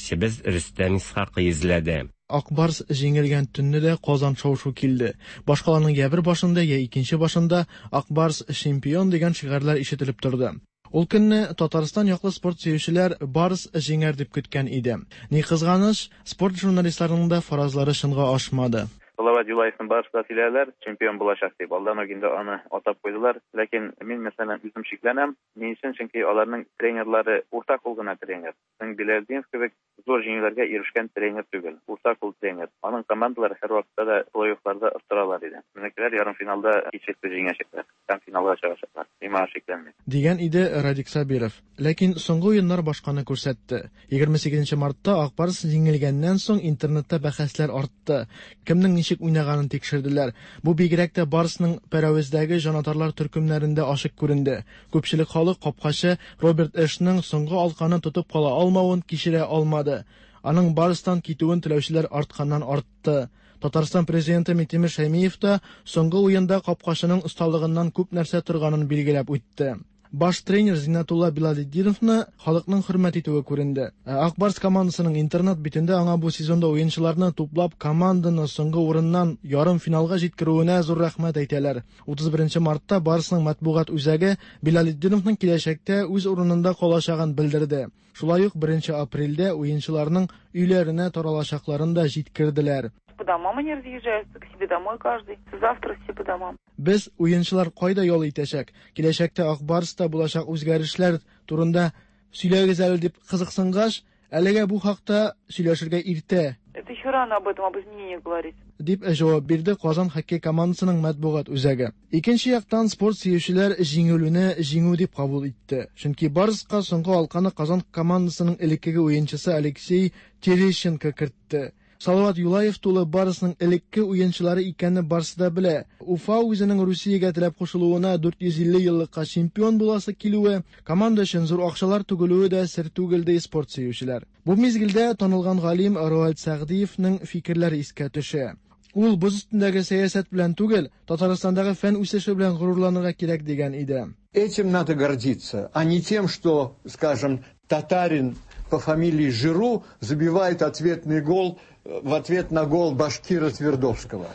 Рөстәм Исхакый эзләде. Ак Барс җиңелгән төнне дә Казан шау-шу килде. Башкаланың йә бер башында, йә икенче башында Ак Барс, чемпион дигән шигарьләр ишетелеп торды. Ул көнне Татарстан яклы спорт сөючеләр Барс җиңәр дип көткән иде. Ни кызганыч, спорт журналистларының да фаразлары чынга ашмады. Салават Юлаевны барысы да сөйләделәр, чемпион булачак дип. Алдан ук инде аны атап куйдылар. Ләкин мин, мәсәлән, үзем шикләнәм. Ни өчен? Чөнки аларның тренерлары урта кул гына тренер. Безнең Биләлетдинов кебек зур җиңүләргә ирешкән тренер түгел. Урта кул тренер. Аның командалары һәрвакытта да плей-оффларда оттыралар иде. Безнекеләр ярымфиналда һичшиксез җиңәчәкләр һәм финалга чыгачаклар. Мин моңа шикләнмим. Дигән иде Радик Сабиров. Ләкин соңгы уеннар башканы күрсәтте. 28 мартта Ак Барс җиңелгәннән соң интернетта бәхәсләр артты. Кемнең ничек уйнаганын тикшерделәр. Бу бигрәк тә Барсның Пәрәвездәге җанатарлар төркемнәрендә ачык күренде. Күпчелек халык капкачы Роберт Эшның соңгы алканы тотып кала алмавын кичерә алмады. Аның Барстан китүен теләүчеләр артканнан артты. Татарстан президенты Минтимер Шәймиев та соңгы уенда капкачының осталыгыннан күп нәрсә торганын билгеләп үтте. Баш тренер Зиннәтулла Билалетдиновны халыкның хөрмәт итүе күренде. Ә Ак Барс командасының интернет битендә аңа бу сезонда уенчыларны туплап команданы соңгы урыннан ярымфиналга җиткерүенә зур рәхмәт әйтәләр. 31 мартта Барсның матбугат үзәге Билалетдиновның киләчәктә үз урынында калачагын белдерде. Шулай ук 1 апрельдә уенчыларның өйләренә таралачакларын да җиткерделәр. По домам они разъезжаются, к себе домой каждый. Завтра все по домам. Без уенчылар кайда ял итәчәк, киләчәктә Ак Барста булачак үзгәрешләр турында сөйләгез әле дип кызыксынгач, әлегә бу хакта сөйләшергә иртә. Это еще рано об этом, об изменениях говорить. Дип җавап бирде Казан хоккей командасының матбугат үзәге. Икенче яктан, спорт сөючеләр җиңелүне җиңү дип кабул итте. Чөнки Барска соңгы алканы Казан командасының элеккеге уенчысы Алексей Терещенко кертте. Салават Юлаев тулы Барсның элекке уенчылары икәнне барсы да белә. Уфа үзенең Русиягә теләп кушылуына 450 еллыкка чемпион буласы килүе, команда өчен зур акчалар түгелүе дә сер түгел, ди спорт сөючеләр. Бу мизгелдә танылган галим Роальд Сәгъдиевнең фикерләре искә төшә. Ул боз өстендәге сәясәт белән түгел, Татарстандагы фән үсеше белән горурланырга кирәк дигән иде. Этим надо гордиться, а не тем, что, скажем, татарин по фамилии Жиру забивает ответный гол в ответ на гол башкира Твердовского.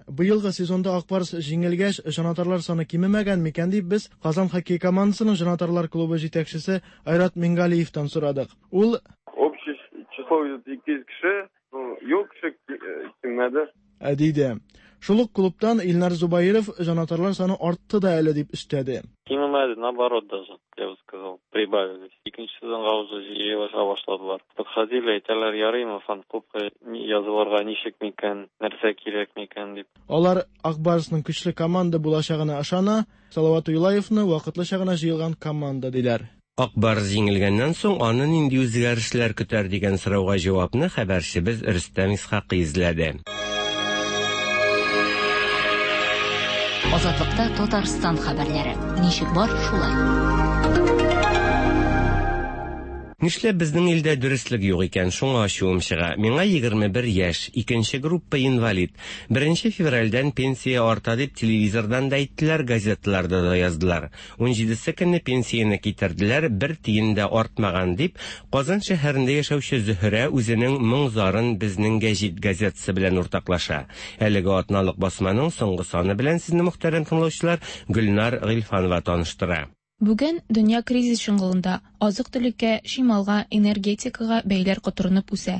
Быелгы сезонда Ак Барс җиңелгәч, җанатарлар саны кимемәгән микән дип без Казан хоккей командасының җанатарлар клубы җитәкчесе Айрат Мингалиевтан сорадык. Ул Общее число где-то 200 кеше, ну, юк кеше килмәде. Диде. Шул ук клубтан Илнар Зубаиров җанатарлар саны артты да әле дип өстәде. Кимемәде, наоборот даже, я бы сказал, прибавились. Икенче сезонга уже җыелыша башладылар. Подходили, әйтәләр, ярыймы фан-клубка язылырга, ничек микән, нәрсә кирәк микән дип. Алар Ак Барсның көчле команда булачагына ышана, Салават Юлаевны вакытлыча гына җыелган команда диләр. Ак Барс җиңелгәннән соң аны нинди үзгәрешләр көтәр дигән сорауга җавапны хәбәрчебез Рөстәм Исхакый эзләде. Азатлыкта Татарстан хәбәрләре. Ничек бар, шулай. Нишләп безнең илдә дөреслек юк икән, шуңа ачуым чыга. Миңа 21 яшь, икенче группа инвалид. Беренче февральдән пенсия арта дип телевизордан да әйттеләр, газеталарда да яздылар. Унҗидесе көнне пенсияне китерделәр, бер тиен дә артмаган, дип, Казан шәһәрендә яшәүче Зөһрә үзенең моң-зарын Безнең гәҗит газетасы белән уртаклаша. Әлеге атналык басманың соңгы саны белән сезне, мөхтәрәм тыңлаучылар, Гөлнар Гыйльфанова таныштыра. Бүген дөнья кризис чоңгылында, азык-төлеккә, чималга, энергетикага бәяләр котырынып үсә.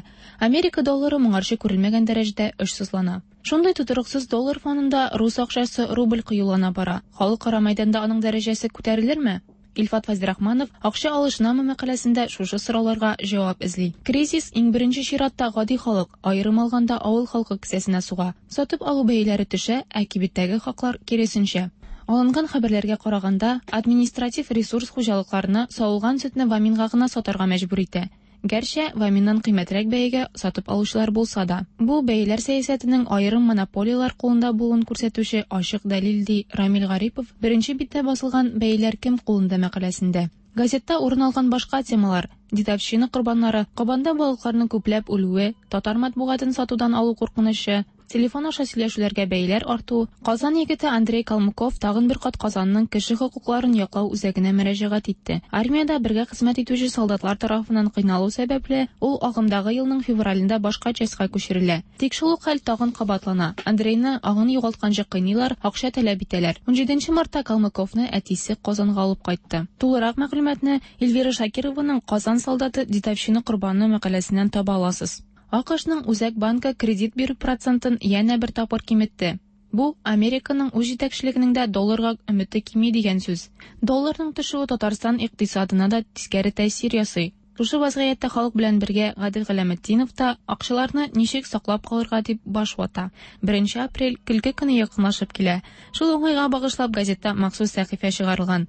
Америка доллары моңарчы күрелмәгән дәрәҗәдә очсызлана. Шундый тотрыксыз доллар фонында рус акчасы рубль кыюлана бара. Халыкара мәйданда аның дәрәҗәсе күтәрелерме? Илфат Фәйзрахманов Акча алышынамы мәкаләсендә шушы сорауларга җавап эзли. Кризис иң беренче чиратта гади халык, аерым алганда авыл халкы кесәсенә суга. Сатып алу бәяләре төшә, ә кибеттәге хаклар киресенчә. Алынган хәбәрләргә караганда, административ ресурс хуҗалыкларны савылган сөтне Ваминга гына сатарга мәҗбүр итә. Гәрчә, Ваминнан кыйммәтрәк бәягә сатып алучылар булса да. Бу, бәяләр сәясәтенең аерым монополияләр кулында булуын күрсәтүче ачык дәлил, ди Рамил Гарипов беренче биттә басылган Бәяләр кем кулында мәкаләсендә. Газетта урын алган башка темалар, дедовщина корбаннары, Кабанда балыкларның күпләп үлүе, татар матбугатын сатудан алу куркынычы, Телефон аша сөйләшүләргә бәяләр арту, Казан егете Андрей Калмыков тагын бер кат Казанның кеше хокукларын яклау үзәгенә мөрәҗәгать итте. Армиядә бергә хезмәт итүче солдатлар тарафыннан кыйналу сәбәпле, ул агымдагы елның февралендә башка частька күчерелә. Тик шул ук хәл тагын кабатлана, Андрейны аңын югалтканчы кыйныйлар, акча таләп итәләр. Унҗиденче мартта Калмыковны әтисе Казанга алып кайтты. Тулырак мәгълүматны Эльвира Шакированың Казан солдаты, дедовщина корбаны мәкаләсеннән таба аласыз. АКШның Үзәк банкы кредит бирү процентын янә бер тапкыр киметте. Бу, Американың үз җитәкчелегенең дә долларга өмете кими дигән сүз. Долларның төшүе Татарстан икътисадына да тискәре тәэсир ясый. Шушы вазгыятьтә халык белән бергә Гадел Галәметдинов та акчаларны ничек саклап калырга дип баш вата. Беренче апрель, көлке көне якынлашып килә. Шул уңайга багышлап газетта махсус сәхифә чыгарылган.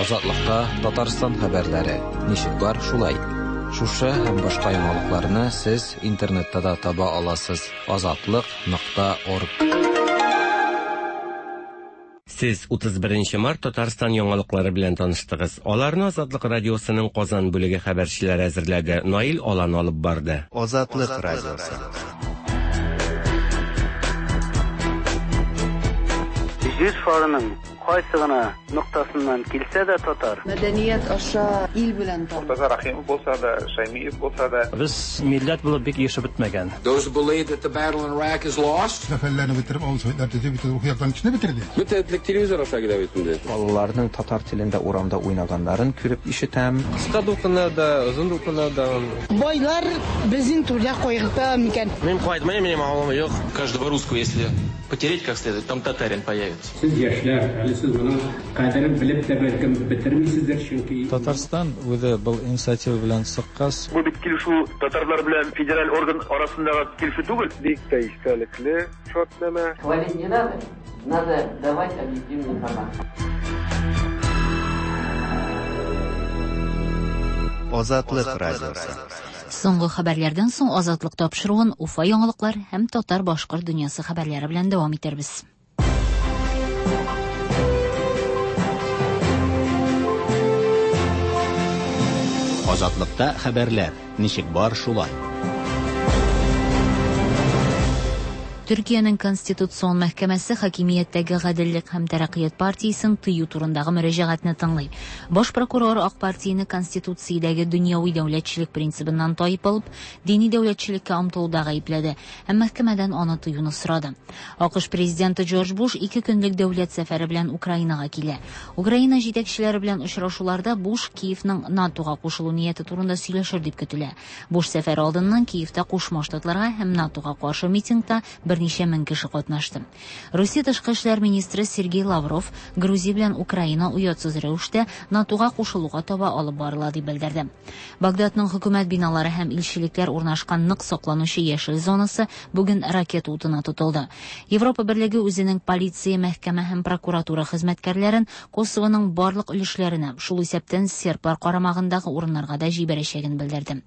Азатлыкта Татарстан хәбәрләре ничек бар, шулай. Шушы һәм башка яңалыкларны сез интернетта да таба аласыз: азатлык.орг. Сез 31 март Татарстан яңалыклары белән таныштыгыз. Аларны Азатлык радиосының Казан бүлеге хәбәрчеләре әзерләде. Наил Алан алып барды. Азатлык радиосы. Җир шарының кайсы гына ноктасыннан килсә дә татар. Мәдәният аша ил белән таныш. Мортаза Рәхимов булса да, Шәймиев булса да. Без милләт булып бик ирешеп бетмәгән. Those who believe that the battle in Iraq is lost. Сәфәрләрне бетереп, авыл советлар төзеп, бөтен рухи яктан кешене бетерде. Бөтен этлек телевизор аша килә бит инде. Балаларның татар телендә урамда уйнаганнарын күреп ишетәм. Кыска дулкыннар да, озын дулкыннар да. Байлар безнең турыда кайгырта микән? Мин кайтмыйм, минем авылым юк. Каждого русского, если потереть как следует, там татарин появится. Сез яшьләр, әле сез моның кадерен белеп тә бәлкем бетермисездер, чөнки Татарстан үзе был инициатива белән чыккач, Бу бит килешү татарлар белән федераль орган арасындагы килешү түгел. Бик тә истәлекле шартнамә. Хвалить не надо, надо давать объективную информацию. Азатлык радиосы. Соңгы хәбәрләрдән соң Азатлык тапшыруын Уфа яңалыклар һәм татар-башкорт дөньясы хәбәрләре белән дәвам итәрбез. Азатлыкта хәбәрләр ничек бар шулай. Төркиянең Конституцион мәхкәмәсе хакимияттәге Гаделлек һәм тәрәккыят партиясен тыю турындагы мөрәҗәгатьне тыңлый. Баш прокурор Ак партияне Конституциядәге дөньяви дәүләтчелек принцибыннан тайпылып, дини дәүләтчелеккә омтылуда гаепләде һәм мәхкәмәдән аны тыюны сорады. АКШ президенты Джордж Буш ике көнлек дәүләт сәфәре белән Украинага килә. Украина җитәкчеләре белән очрашуларда Буш Киевның НАТОга кушылу нияте турында сөйләшер дип көтелә. Буш сәфәре алдыннан Киевта Кушма Штатларга һәм НАТОга каршы митингта берничә мең кеше катнашты. Русия тышкы эшләр министры Сергей Лавров Грузия белән Украина оятсыз рәвештә НАТОга кушылуга таба алып барыла дип белдерде. Багдадның хөкүмәт биналары һәм илчелекләр урнашкан нык сакланучы яшел зонасы бүген ракета утына тотылды. Европа Берлеге үзенең полиция, мәхкәмә һәм прокуратура хезмәткәрләрен Косовоның барлык өлешләренә, шул исәптән серблар карамагындагы урыннарга да җибәрәчәген белдерде.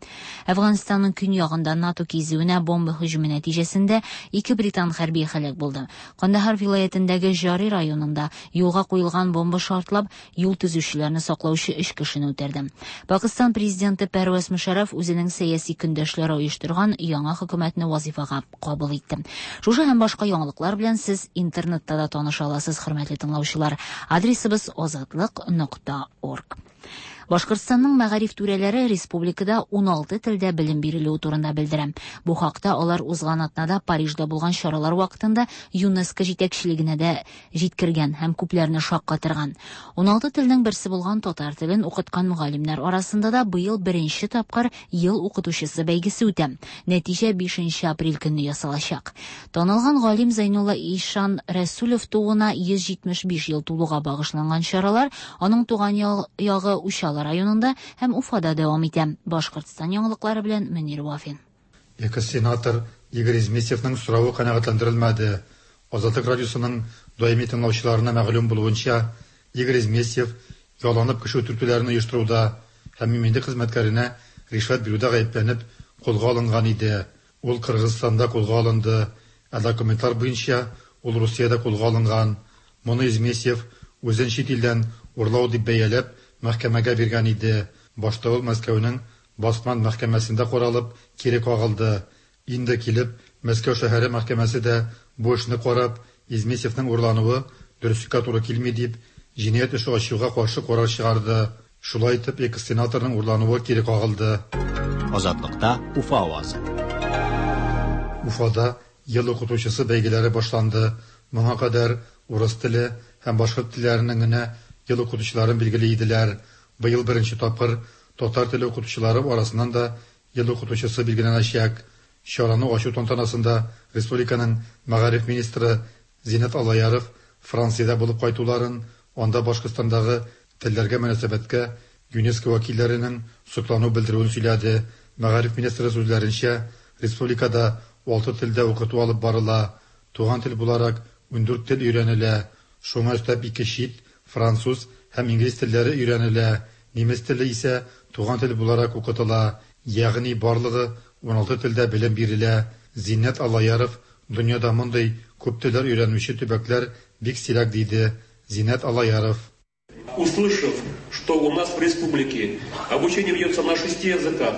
Әфганстанның көньягында НАТО кизүенә бомба һөҗүме нәтиҗәсендә ике британ хәрби һәлак булды. Кандахар вилаятендәге Жари районында юлга куелган бомба шартлап, юл төзүчеләрне саклаучы өч кешене үтерде. Пакистан президенты Пәрвәз Мөшәррәф үзенең сәяси көндәшләре оештырган яңа хөкүмәтне вазифага кабул итте. Шушы һәм башка яңалыклар белән сез интернетта да таныша аласыз, хөрмәтле тыңлаучылар. Адресыбыз азатлык.орг. Башкортстанның мәгариф түрәләре республикада 16 телдә белем бирелүе турында белдерә. Бу хакта алар узган атнада Парижда булган чаралар вакытында ЮНЕСКО җитәкчелегенә дә җиткергән һәм күпләрне шаккатырган. 16 телнең берсе булган татар телен укыткан мөгаллимнәр арасында да быел беренче тапкыр ел укытучысы бәйгесе үтә. Нәтиҗә 5 апрель көнне ясалачак. Танылган галим Зәйнулла Ишан Рәсүлев тууына 175 ел тулуга багышланган чаралар аның туган ягы Учалы районында һәм Уфада дәвам итә. Башкортстан яңалыклары белән Мөнир Вафин. Экс-сенатор Игорь Изместьевның соравы канәгатьләндерелмәде. Азатлык радиосының даими тыңлаучыларына мәгълүм булуынча, Игорь Изместьев ялланып кеше үтертүләрен оештыруда һәм иминлек хезмәткәренә ришвәт бирүдә гаепләнеп кулга алынган иде. Ул Кыргызстанда кулга алынды, ә документлар буенча ул Русиядә кулга алынган. Моны Изместьев үзен чит илдән урлау дип бәяләп, мәхкәмәгә биргән иде. Башта ул Мәскәүнең Басман мәхкәмәсендә каралып, кире кагылды. Инде килеп, Мәскәү шәһәре мәхкәмәсе дә бу эшне карап, Изместьевның урлануы дөреслеккә туры килми дип, җинаять эше ачуга каршы карар чыгарды. Шулай итеп, экс-сенаторның урлануы кире кагылды. Азатлыкта Уфа авазы. Уфада ел укытучысы бәйгеләре башланды. Моңа кадәр урыс теле һәм башкорт телләренең генә ел укытучыларын билгели иделәр. Быел беренче тапкыр Татар теле укытучылары арасыннан да ел укытучысы билгеләнәчәк. Чараны ачу тантанасында республиканың мәгариф министры Зиннәт Аллаяров Франциядә булып кайтуларын, анда Башкортстандагы телләргә мөнәсәбәткә ЮНЕСКО вәкилләренең соклану белдерүен сөйләде. Мәгариф министры сүзләренчә, республикада алты телдә укыту алып барыла. Туган тел буларак 14 тел өйрәнелә. Шуңа өстәп ике чит, француз һәм инглиз телләре өйрәнелә. Немец теле исә туган тел буларак укытыла. Ягъни барлыгы 16 телдә белем бирелә. Зиннәт Аллаяров дөньяда мондый күп телләр өйрәнүче төбәкләр бик сирәк диде. Зиннәт Аллаяров. Услышав, что у нас в республике обучение ведется на шести языках,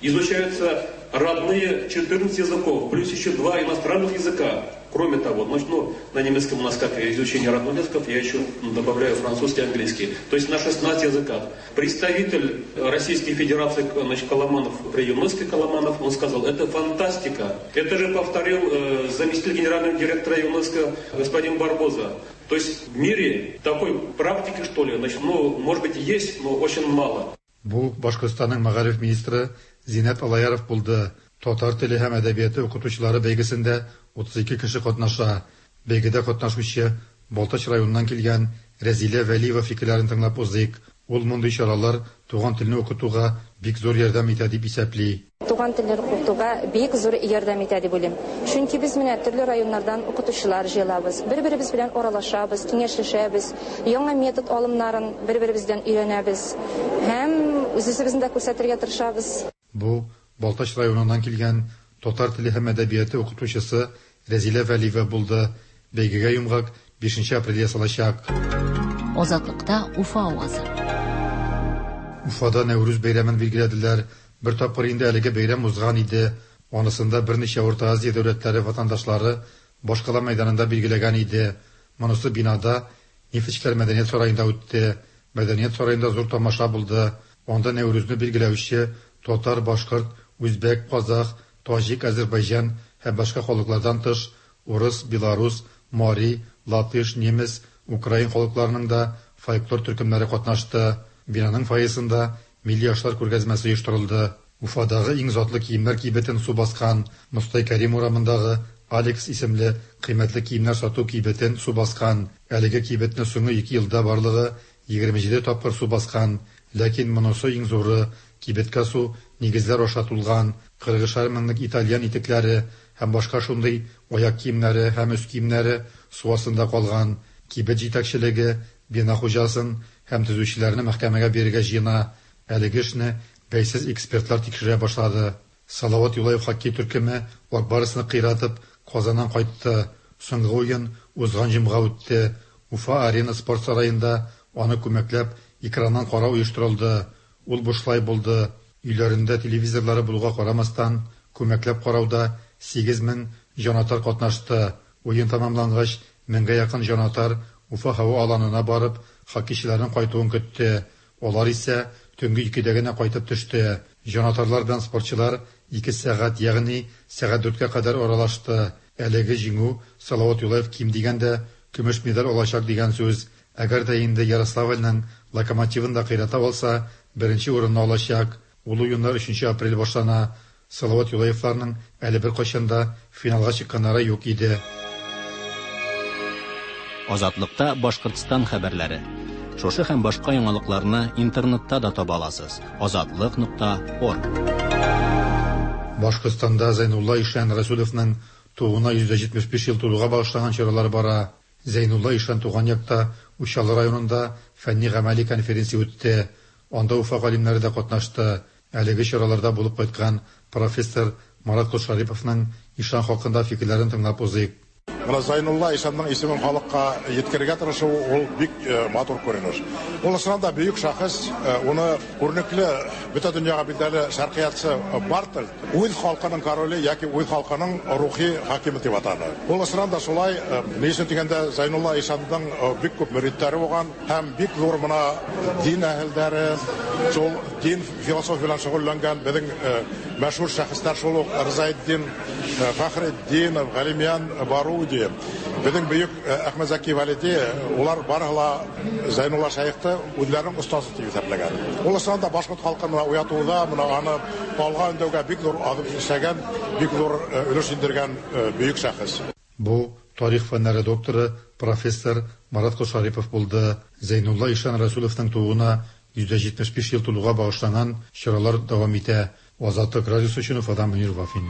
изучаются родные 14 языков, плюс еще два иностранных языка. Кроме того, значит, ну, на немецком у нас как изучение родных языков, я еще добавляю французский и английский. То есть на 16 языках. Представитель Российской Федерации, значит, Коломанов, при ЮНЕСКО Коломанов, он сказал, это фантастика. Это же повторил заместитель генерального директора ЮНЕСКО господин Барбоза. То есть в мире такой практики, что ли, значит, ну, может быть, есть, но очень мало. Бу Башкортстанның мәгариф министры Зиннәт Аллаяров булды. Татар теле һәм әдәбияты укытучылары бәйгесендә 32 кеше катнаша. Бәйгедә катнашучы Балтач районыннан килгән Рәзилә Вәлиева фикерләрен тыңлап узыйк. Ул мондый чаралар туган телне укытуга бик зур ярдәм итә дип исәпли. Туган телләр укытуга бик зур ярдәм итә дип уйлыйм. Чөнки без менә төрле районнардан укытучылар җыелабыз, бер-беребез белән аралашабыз, киңәшләшәбез, яңа метод алымнарын бер-беребездән өйрәнәбез һәм үз-үзебезне дә күрсәтергә тырышабыз. Бу Балтач районыннан килгән татар теле һәм әдәбияты укытучысы Рәзилә Вәлиева булды. Бәйгегә йомгак 5 апрель ясалачак. Азатлыкта Уфа авазы. Уфада Нәүрүз бәйрәмен билгеләделәр. Бер тапкыр инде әлеге бәйрәм узган иде. Анысында берничә Урта Азия дәүләтләре ватандашлары башкала мәйданында билгеләгән иде. Монысы бинада Нефтьчеләр мәдәният сараенда үтте. Мәдәният сараенда зур тамаша булды. Анда Нәүрүзне билгеләүче татар, башкорт, үзбәк, казах, таҗик, азербайҗан һәм башка халыклардан тыш, урыс, белорус, мари, латыш, немец, украин халыкларының да фольклор төркемнәре катнашты. Бинаның фойесында милли ашлар күргәзмәсе оештырылды. Уфадагы иң затлы киемнәр кибетен су баскан. Мостай Кәрим урамындагы Алекс исемле кыйммәтле киемнәр сату кибетен су баскан. Әлеге кибетне соңгы ике елда барлыгы 27 тапкыр су баскан. Ләкин монысы иң зуры. Кибеткә су нигезләр аша тулган. 40 меңлек итальян итекләре һәм башка шундый аяк киемнәре һәм өс киемнәре су астында калган. Кибет җитәкчелеге бина хуҗасын һәм төзүчеләрне мәхкәмәгә бирергә җыена. Әлеге эшне бәйсез экспертлар тикшерә башлады. Салават Юлаев хоккей төркеме Ак Барсны кыйратып Казаннан кайтты. Соңгы уен узган җомга үтте. Уфа Арена спорт сараенда аны күмәкләп экраннан карау оештырылды. Ул бушлай булды. Өйләрендә телевизорлары булуга карамастан, күмәкләп карауда 8000 җанатар катнашты. Уен тәмамлангач, меңгә якын җанатар Уфа һава аланына барып, хоккейчыларның кайтуын көтте. Алар исә төнге 2дә генә кайтып төште. Җанатарлар белән спортчылар 2 сәгать, ягъни сәгать 4кә кадәр аралашты. Әлеге җиңү Салават Юлаев ким дигәндә көмеш медаль алачак дигән сүз. Әгәр дә инде Ярославльның Локомотивын да кыйрата алса, беренче урынны алачак. Ул уеннар 3 апрель башлана. Салават Юлаевларның әле беркайчан да финалга чыкканнары юк иде. Азатлыкта Башкортстан хәбәрләре. Шушы һәм башка яңалыкларны интернетта да таба аласыз. Азатлык.орг. Башкортстанда Зәйнулла Ишан Расуловның тууына 175 ел тулуга багышланган чаралар бара. Зәйнулла Ишан туган якта Учалы районында фәнни-гамәли конференция үтте. Анда Уфа галимнәре дә катнашты. Әлеге чараларда булып кайткан профессор Марат Колшариповның Ишан хакында фикерләрен тыңлап узыйк. Менә Зайнулла Ишанның исемен халыкка еткерергә тырышу ул бик матур күренеш. Ул чыннан да бөек шәхес, уны күренекле бөтә дөньяга билгеле шәркыятчы Бартольд үз халкының короле яки үз халкының рухи хакиме дип атады. Ул чыннан да шулай, ни өчен дигәндә Зайнулла Ишанның бик күп мөритләре булган һәм бик зур менә дин әһелләре, шул дин философия белән шөгыльләнгән безнең мәшһүр шәхесләр шул ук Рзаетдин Фәхретдинов, Галимьян Баруди, безнең бөек Әхмәтзәки Вәлиди, улар барыһы ла Зәйнулла Шәехте үзләренең остазы дип исәпләгән. Ул чыннан да башкорт халкын менә уятуда, менә аны алга өндәүгә бик зур адым эшләгән, бик зур өлеш индергән бөек шәхес. Бу тарих фәннәре докторы, профессор Марат Кошарипов булды. Зәйнулла ишан Рәсүловның тууына 175 ел тулуга багышланган чаралар дәвам итә. Азатлык радиосы өчен Уфадан Мөнир Вафин.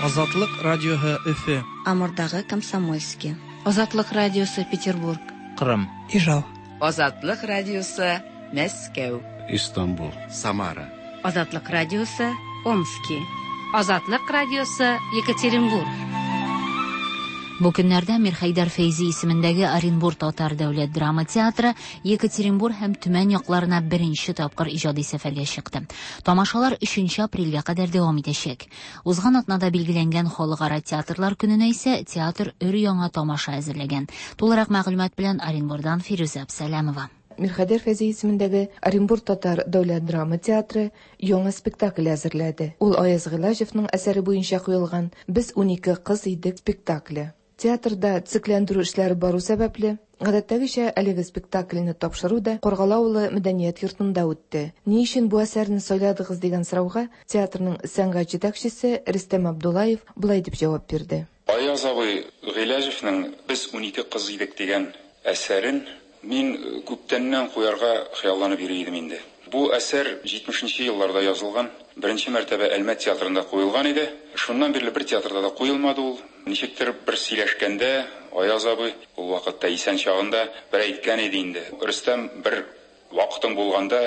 Азатлык радиоһы Өфе. Амурдагы Комсомольский. Азатлык радиосы Петербург. Кырым. Ижау. Азатлык радиосы Мәскәү. Истанбул. Самара. Азатлык радиосы Омски. Азатлык радиосы Екатеринбург. Бу көннәрдә Мирхәйдәр Фәйзи исемендәге Оренбур татар дәүләт драма театры Екатеринбур һәм Төмән якларына беренче тапкыр иҗади сәфәргә чыкты. Тамашалар 3 апрельгә кадәр дәвам итәчәк. Узган атнада билгеләнгән Халыкара театрлар көненә исә театр өр-яңа тамаша әзерләгән. Тулырак мәгълүмат белән Оренбурдан Фирүзә Абсәләмова. Мирхәйдәр Фәйзи исемендәге Оренбур татар дәүләт драма театры яңа спектакль әзерләде. Ул Аяз Гыйләҗевның әсәре буенча куелган Без 12 кыз идек спектакле. Театрда төзекләндерү эшләре бару сәбәпле, гадәттәгечә әлеге спектакльне тапшыру да Каргалы авылы мәдәният йортында үтте. Ни өчен бу әсәрне сайладыгыз дигән сорауга театрның сәнгать җитәкчесе Рөстәм Абдулаев болай дип җавап бирде. Аяз абый Гыйләҗевнең Без 12 кыз идек дигән әсәрен мин күптәннән куярга хыялланып йөри идем инде. Бу әсәр 70 нче елларда язылган, беренче мәртәбә Әлмәт театрында куелган иде. Шуннан бирле бер театрда да куелмады ул. Ничектер бер сөйләшкәндә Аяз абый, ул вакытта исән чагында, бер әйткән иде инде, Рөстәм, бер вакытың булганда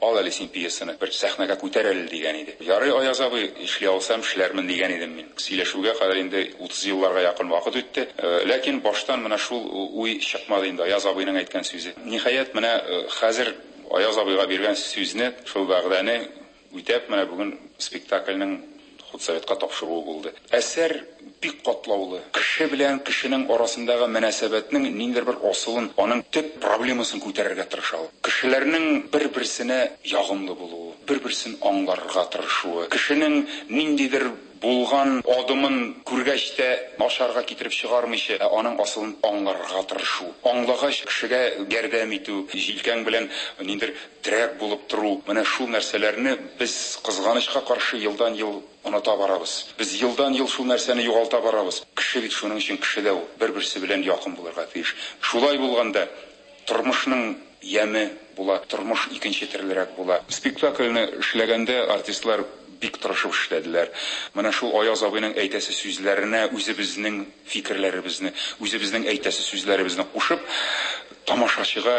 ал әле син пьесаны, бер сәхнәгә күтәр әле, дигән иде. Ярый, Аяз абый, эшли алсам, эшләрмен, дигән идем мин. Сөйләшүгә кадәр инде 30 елларга якын вакыт үтте. Ләкин баштан менә шул уй чыкмады инде, Аяз абыйның әйткән сүзе. Ниһаять, менә хәзер Аяз абыйга биргән сүзне, шул вәгъдәне үтәп, менә бүген спектакльнең худсоветка тапшыруы булды. Әсәр бик катлаулы. Кеше белән кешенең арасындагы мөнәсәбәтнең ниндидер бер асылын, аның төп проблемасын күтәрергә тырыша ул. Кешеләрнең бер-берсенә ягымлы булуы, бер-берсен аңларга тырышуы, кешенең ниндидер булган адымын күргәч тә начарга китереп чыгармыйча, ә аның асылын аңларга тырышу. Аңлагач, кешегә ярдәм итү, җилкәң белән ниндидер терәк булып тору. Менә шул нәрсәләрне без, кызганычка каршы, елдан-ел оныта барабыз. Без елдан-ел шул нәрсәне югалта барабыз. Кеше бит шуның өчен кеше дә ул, бер-берсе белән якын булырга тиеш. Шулай булганда тормышның яме була, тормыш икенче төрлерәк була. Спектакльне эшләгәндә артистлар бик тырышып эшләделәр. Менә шул Аяз абыйның әйтәсе сүзләренә үзебезнең фикерләребезне, үзебезнең әйтәсе сүзләребезне кушып, тамашачыга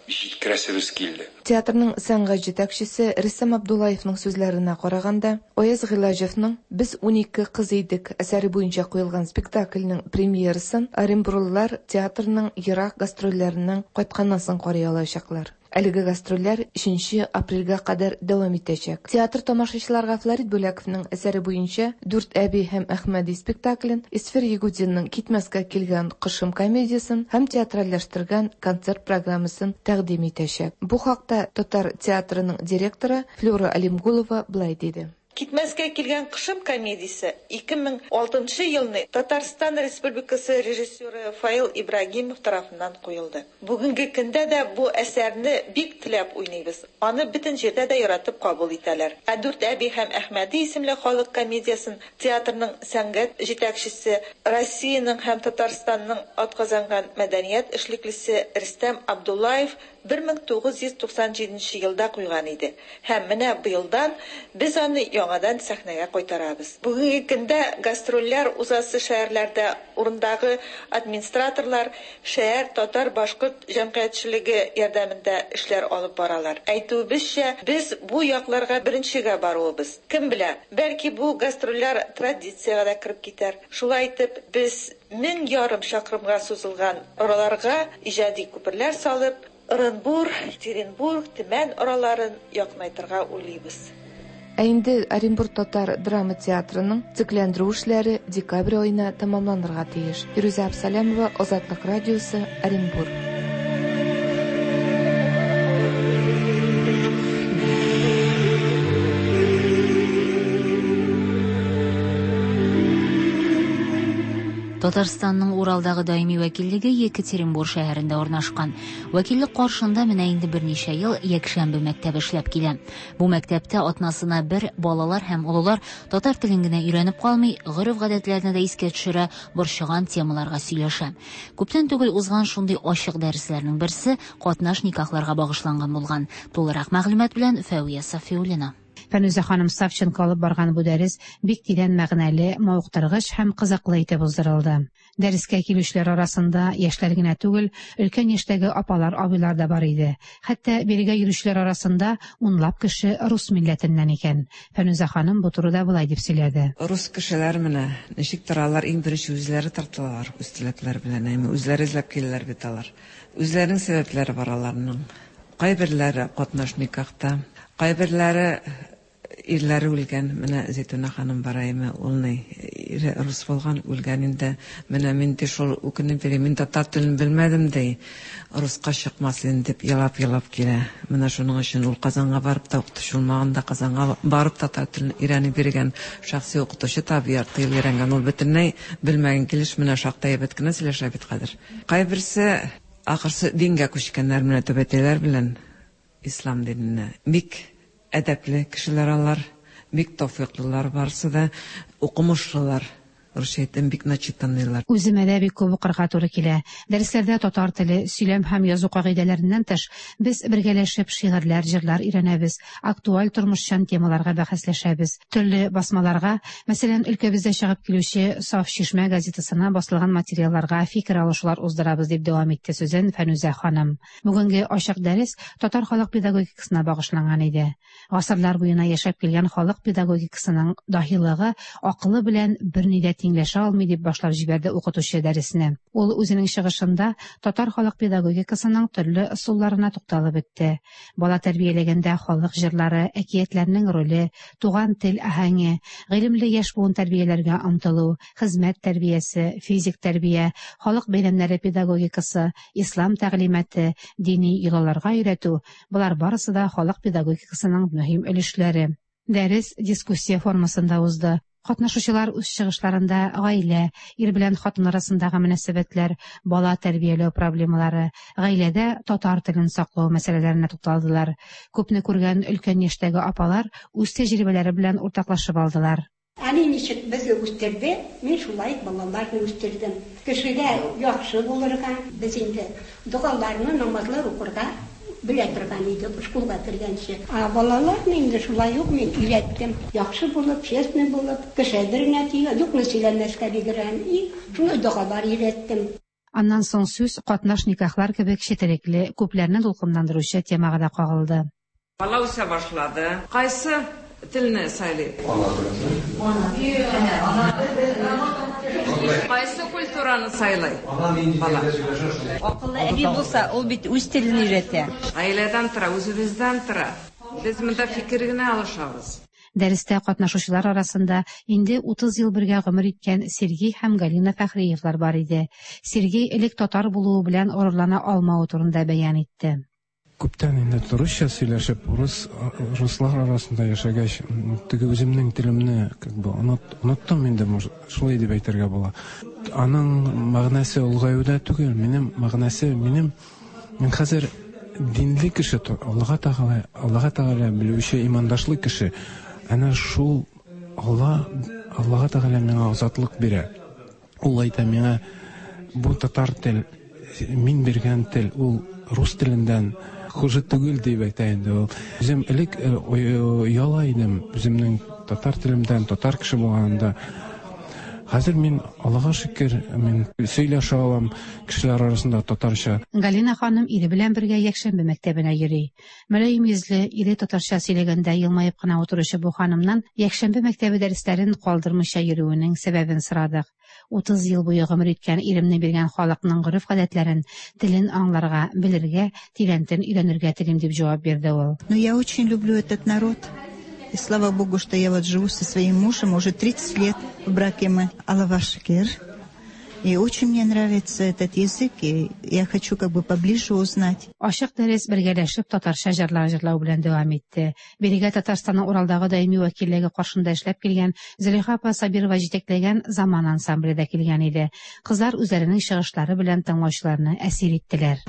җиткерәсебез килде. Театрның сәнгать җитәкчесе Рөстәм Абдуллаевның сүзләренә караганда, Аяз Гыйләҗевның Без 12 кыз идек әсәре буенча куелган спектакльнең премьерасын оренбурлылар театрның ерак гастрольләреннән кайтканнан соң карый алачаклар. Әлеге гастрольләр өченче апрельгә кадәр дәвам итәчәк. Театр тамашачыларга Флорид Бүләковның әсәре буенча Дүрт әби һәм Әхмәди спектаклен, Эсфир Ягудинның Китмәскә килгән кошым комедиясен һәм театральләштергән концерт программасын тәкъдим итәчәк. Бу хакта татар театрының директоры Флюра Алимгулова болай диде. Китмәскә килгән кошым комедиясе 2006 нчы елны Татарстан Республикасы режиссеры Фаил Ибрагимов тарафыннан куелды. Бүгенге көндә дә бу әсәрне бик теләп уйныйбыз. Аны бөтен җирдә дә яратып кабул итәләр. Ә Дүрт әби һәм Әхмәди исемле халык комедиясен театрның сәнгать җитәкчесе, Россиянең һәм Татарстанның атказанган мәдәният эшлеклесе Рөстәм Абдуллаев 1997 нче елда куйган иде һәм менә быелдан без аны яңадан сәхнәгә кайтарабыз. Бүгенге көндә гастрольләр узасы шәһәрләрдә урындагы администраторлар, шәһәр татар-башкорт җәмгыятьчелеге ярдәмендә эшләр алып баралар. Әйтүебезчә, без бу якларга беренчегә баруыбыз. Кем белә, бәлки бу гастрольләр традициягә дә кереп китәр. Шулай итеп, без 1500 чакрымга сузылган араларга иҗади күперләр салып, Ырынбур, Екатеринбург, Төмән араларын якынайтырга уйлыйбыз. Ә инде Оренбур татар драма театрының төзекләндерү эшләре декабрь аена тәмамланырга тиеш. Фирүзә Абсалямова, Азатлык радиосы, Оренбур. Татарстанның Уралдагы даими вәкиллеге Екатеринбур шәһәрендә урнашкан. Вәкиллек каршында менә инде берничә ел якшәмбе мәктәбе эшләп килә. Бу мәктәптә атнасына бер балалар һәм олылар татар телен генә өйрәнеп калмый, гореф-гадәтләрне дә искә төшерә, борчыган темаларга сөйләшә. Күптән түгел узган шундый ачык дәресләрнең берсе катнаш никахларга багышланган булган. Тулырак мәгълүмат белән Фәвия Сафиуллина. Фәнүзә ханым Савченко алып барган бу дәрес бик тирән мәгънәле, мавыктыргыч һәм кызыклы итеп уздырылды. Дәрескә килүчеләр арасында яшьләр генә түгел, өлкән яшьтәге апалар, абыйлар да бар иде. Хәтта бирегә йөрүчеләр арасында унлап кеше рус милләтеннән икән. Фәнүзә ханым бу турыда болай дип сөйләде. Рус кешеләр менә ничек торалар, иң беренче үзләре тартылалар үз теләкләре белән, әйме, үзләре эзләп киләләр бит алар. Үзләренең сәбәпләре бар аларның. Кайберләре катнаш никахта, кайберләре ирләре үлгән. Менә Зәйтүнә ханым бар әйме, ул ни, ире рус булган, үлгән инде. Менә мин ди шул үкенеп йөрим, мин татар телен белмәдем ди, руска чыкмас идем дип елап-елап килә. Менә шуның өчен ул Казанга барып та укытучы булмаган да, Казанга барып татар телен өйрәнеп йөргән, шәхси укытучы табып ярты ел өйрәнгән. Ул бөтенләй белмәгән килеш менә шактай әйбәт кенә сөйләшә бит хәзер. Кайберсе Ахырсы дингә күчкәннәр менә түбәтәйләр белән ислам диненә. Бик әдәпле кешеләр алар, бик тәүфыйклылар барысы да, укымышлылар. Русча әйтәм, бик начитанныйлар. Үземә дә бик күп укырга туры килә. Дәресләрдә татар теле, сөйләм һәм язу кагыйдәләреннән тыш, без бергәләшеп шигырьләр, җырлар өйрәнәбез, актуаль тормышчан темаларга бәхәсләшәбез. Төрле басмаларга, мәсәлән, өлкәбездә чыгып килүче Саф чишмә газетасына басылган материалларга фикер алышулар уздырабыз, дип дәвам итте сүзен Фәнүзә ханым. Бүгенге ачык дәрес татар халык педагогикасына багышланган иде. Гасырлар буена яшәп килгән халык педагогикасының даһилыгы акылы белән берни дә тиңләшә алмый, дип башлап җибәрде укытучы дәресне. Ул үзенең чыгышында татар халык педагогикасының төрле ысулларына тукталып үтте. Бала тәрбияләгәндә халык җырлары, әкиятләрнең роле, туган тел аһәңе, гыйлемле яшь буын тәрбияләргә омтылу, хезмәт тәрбиясе, физик тәрбия, халык бәйрәмнәре педагогикасы, ислам тәгълиматы, дини йолаларга өйрәтү, болар барысы да халык педагогикасының мөһим өлешләре. Дәрес дискуссия формасында узды. Катнашучылар үз чыгышларында гаилә, ир белән хатын арасындагы мөнәсәбәтләр, бала тәрбияләү проблемалары, гаиләдә татар телен саклау мәсьәләләренә тукталдылар. Күпне күргән өлкән яшьтәге апалар үз тәҗрибәләре белән уртаклашып алдылар. Әни ничек безне үстерде, мин шулай балаларны үстердем. Кешегә яхшы булырга, без инде догаларны, намазлар укырга белә торган идек, школга кергәнче. Ә балаларны инде шулай ук мин өйрәттем. Яхшы булып, честный булып, кеше әйберенә тия, юкны сөйләмәскә бигрәк. И шулай догалар өйрәттем. Аннан соң сүз катнаш никахлар кебек четерекле, күпләрне дулкынландыручы темага да кагылды. Бала үсә башлады. Кайсы телне сайлый? Кайсы культураны сайлый бала? Акыллы әби булса, ул бит үз телен өйрәтә. Гаиләдән тора, үзебездән тора. Без монда фикер генә алышабыз. Дәрестә катнашучылар арасында инде 30 ел бергә гомер иткән Сергей һәм Галина Фәхриевлар бар иде. Сергей элек татар булуы белән горурлана алмавы турында бәян итте. Күптән инде русча сөйләшеп, урыс, руслар арасында яшәгәч, теге үземнең телемне как бы оныт, оныттым инде, может, шулай дип әйтергә була. Аның мәгънәсе олыгаюда түгел, минем мәгънәсе, минем, мин хәзер динле кеше, Аллага Тәгалә, Аллага Тәгалә белүче имандашлы кеше. Әнә шул Алла, Аллага Тәгалә миңа азатлык бирә. Ул әйтә миңа, бу татар тел, мин биргән тел, ул рус теленнән хуже түгел дип әйтә инде ул. Үзем элек ояла идем үземнең татар телемдән, татар кеше булганымда. Хәзер мин, Аллага шөкер, мин сөйләшә алам кешеләр арасында татарча. Галина ханым ире белән бергә якшәмбе мәктәбенә йөри. Мөлаем йөзле, ире татарча сөйләгәндә елмаеп кына утыручы бу ханымнан якшәмбе мәктәбе дәресләрен калдырмыйча йөрүенең сәбәбен сорадык. 30 ел буе гомер иткән иремне биргән халыкның гореф-гадәтләрен, телен аңларга, белергә, тирәнтен өйрәнергә телим, дип җавап бирде ул. Но я очень люблю этот народ. И слава Богу, что я вот живу со своим мужем уже 30 лет в браке мы. Аллага шөкер. И очень мне нравится этот язык, и я хочу как бы поближе узнать. Ачык дәрес бергәләшеп татарча җырлар җырлау белән дәвам итте. Бирегә Татарстанның Уралдагы даими вәкиллеге каршында эшләп килгән Зөләйха апа Сабирова җитәкләгән Заман ансамбле дә килгән иде. Кызлар үзләренең чыгышлары белән тыңлаучыларны әсир иттеләр.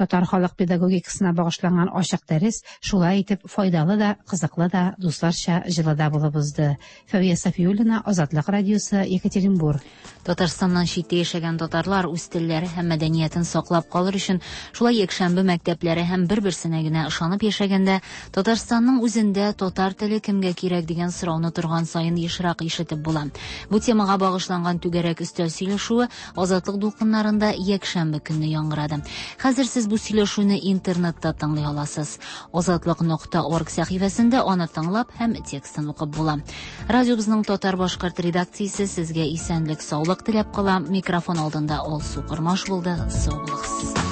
Татар халык педагогикасына багышланган ачык дәрес шулай итеп файдалы да, кызыклы да, дусларча җылы да булып узды. Фәвия Сафиуллина, Азатлык радиосы, Екатеринбург. Татарстаннан читтә яшәгән татарлар үз телләре һәм мәдәниятен саклап калыр өчен шулай якшәмбе мәктәпләре һәм бер-берсенә генә ышанып яшәгәндә, Татарстанның үзендә татар теле кемгә кирәк дигән сорауны торган саен ешрак ишетеп була. Бу темага багышланган түгәрәк өстәл сөйләшүе Азатлык дулкыннарында якшәмбе көнне яңгырады. Хәзер сез бу сөйләшүне интернетта тыңлый аласыз. Азатлык нокта орг сәхифәсендә аны тыңлап һәм текстын укып була. Радиобызның татар-башкорт редакциясе сезгә исәнлек, саулык теләп кала. Микрофон алдында Алсу Кормаш булды. Сау булыгыз.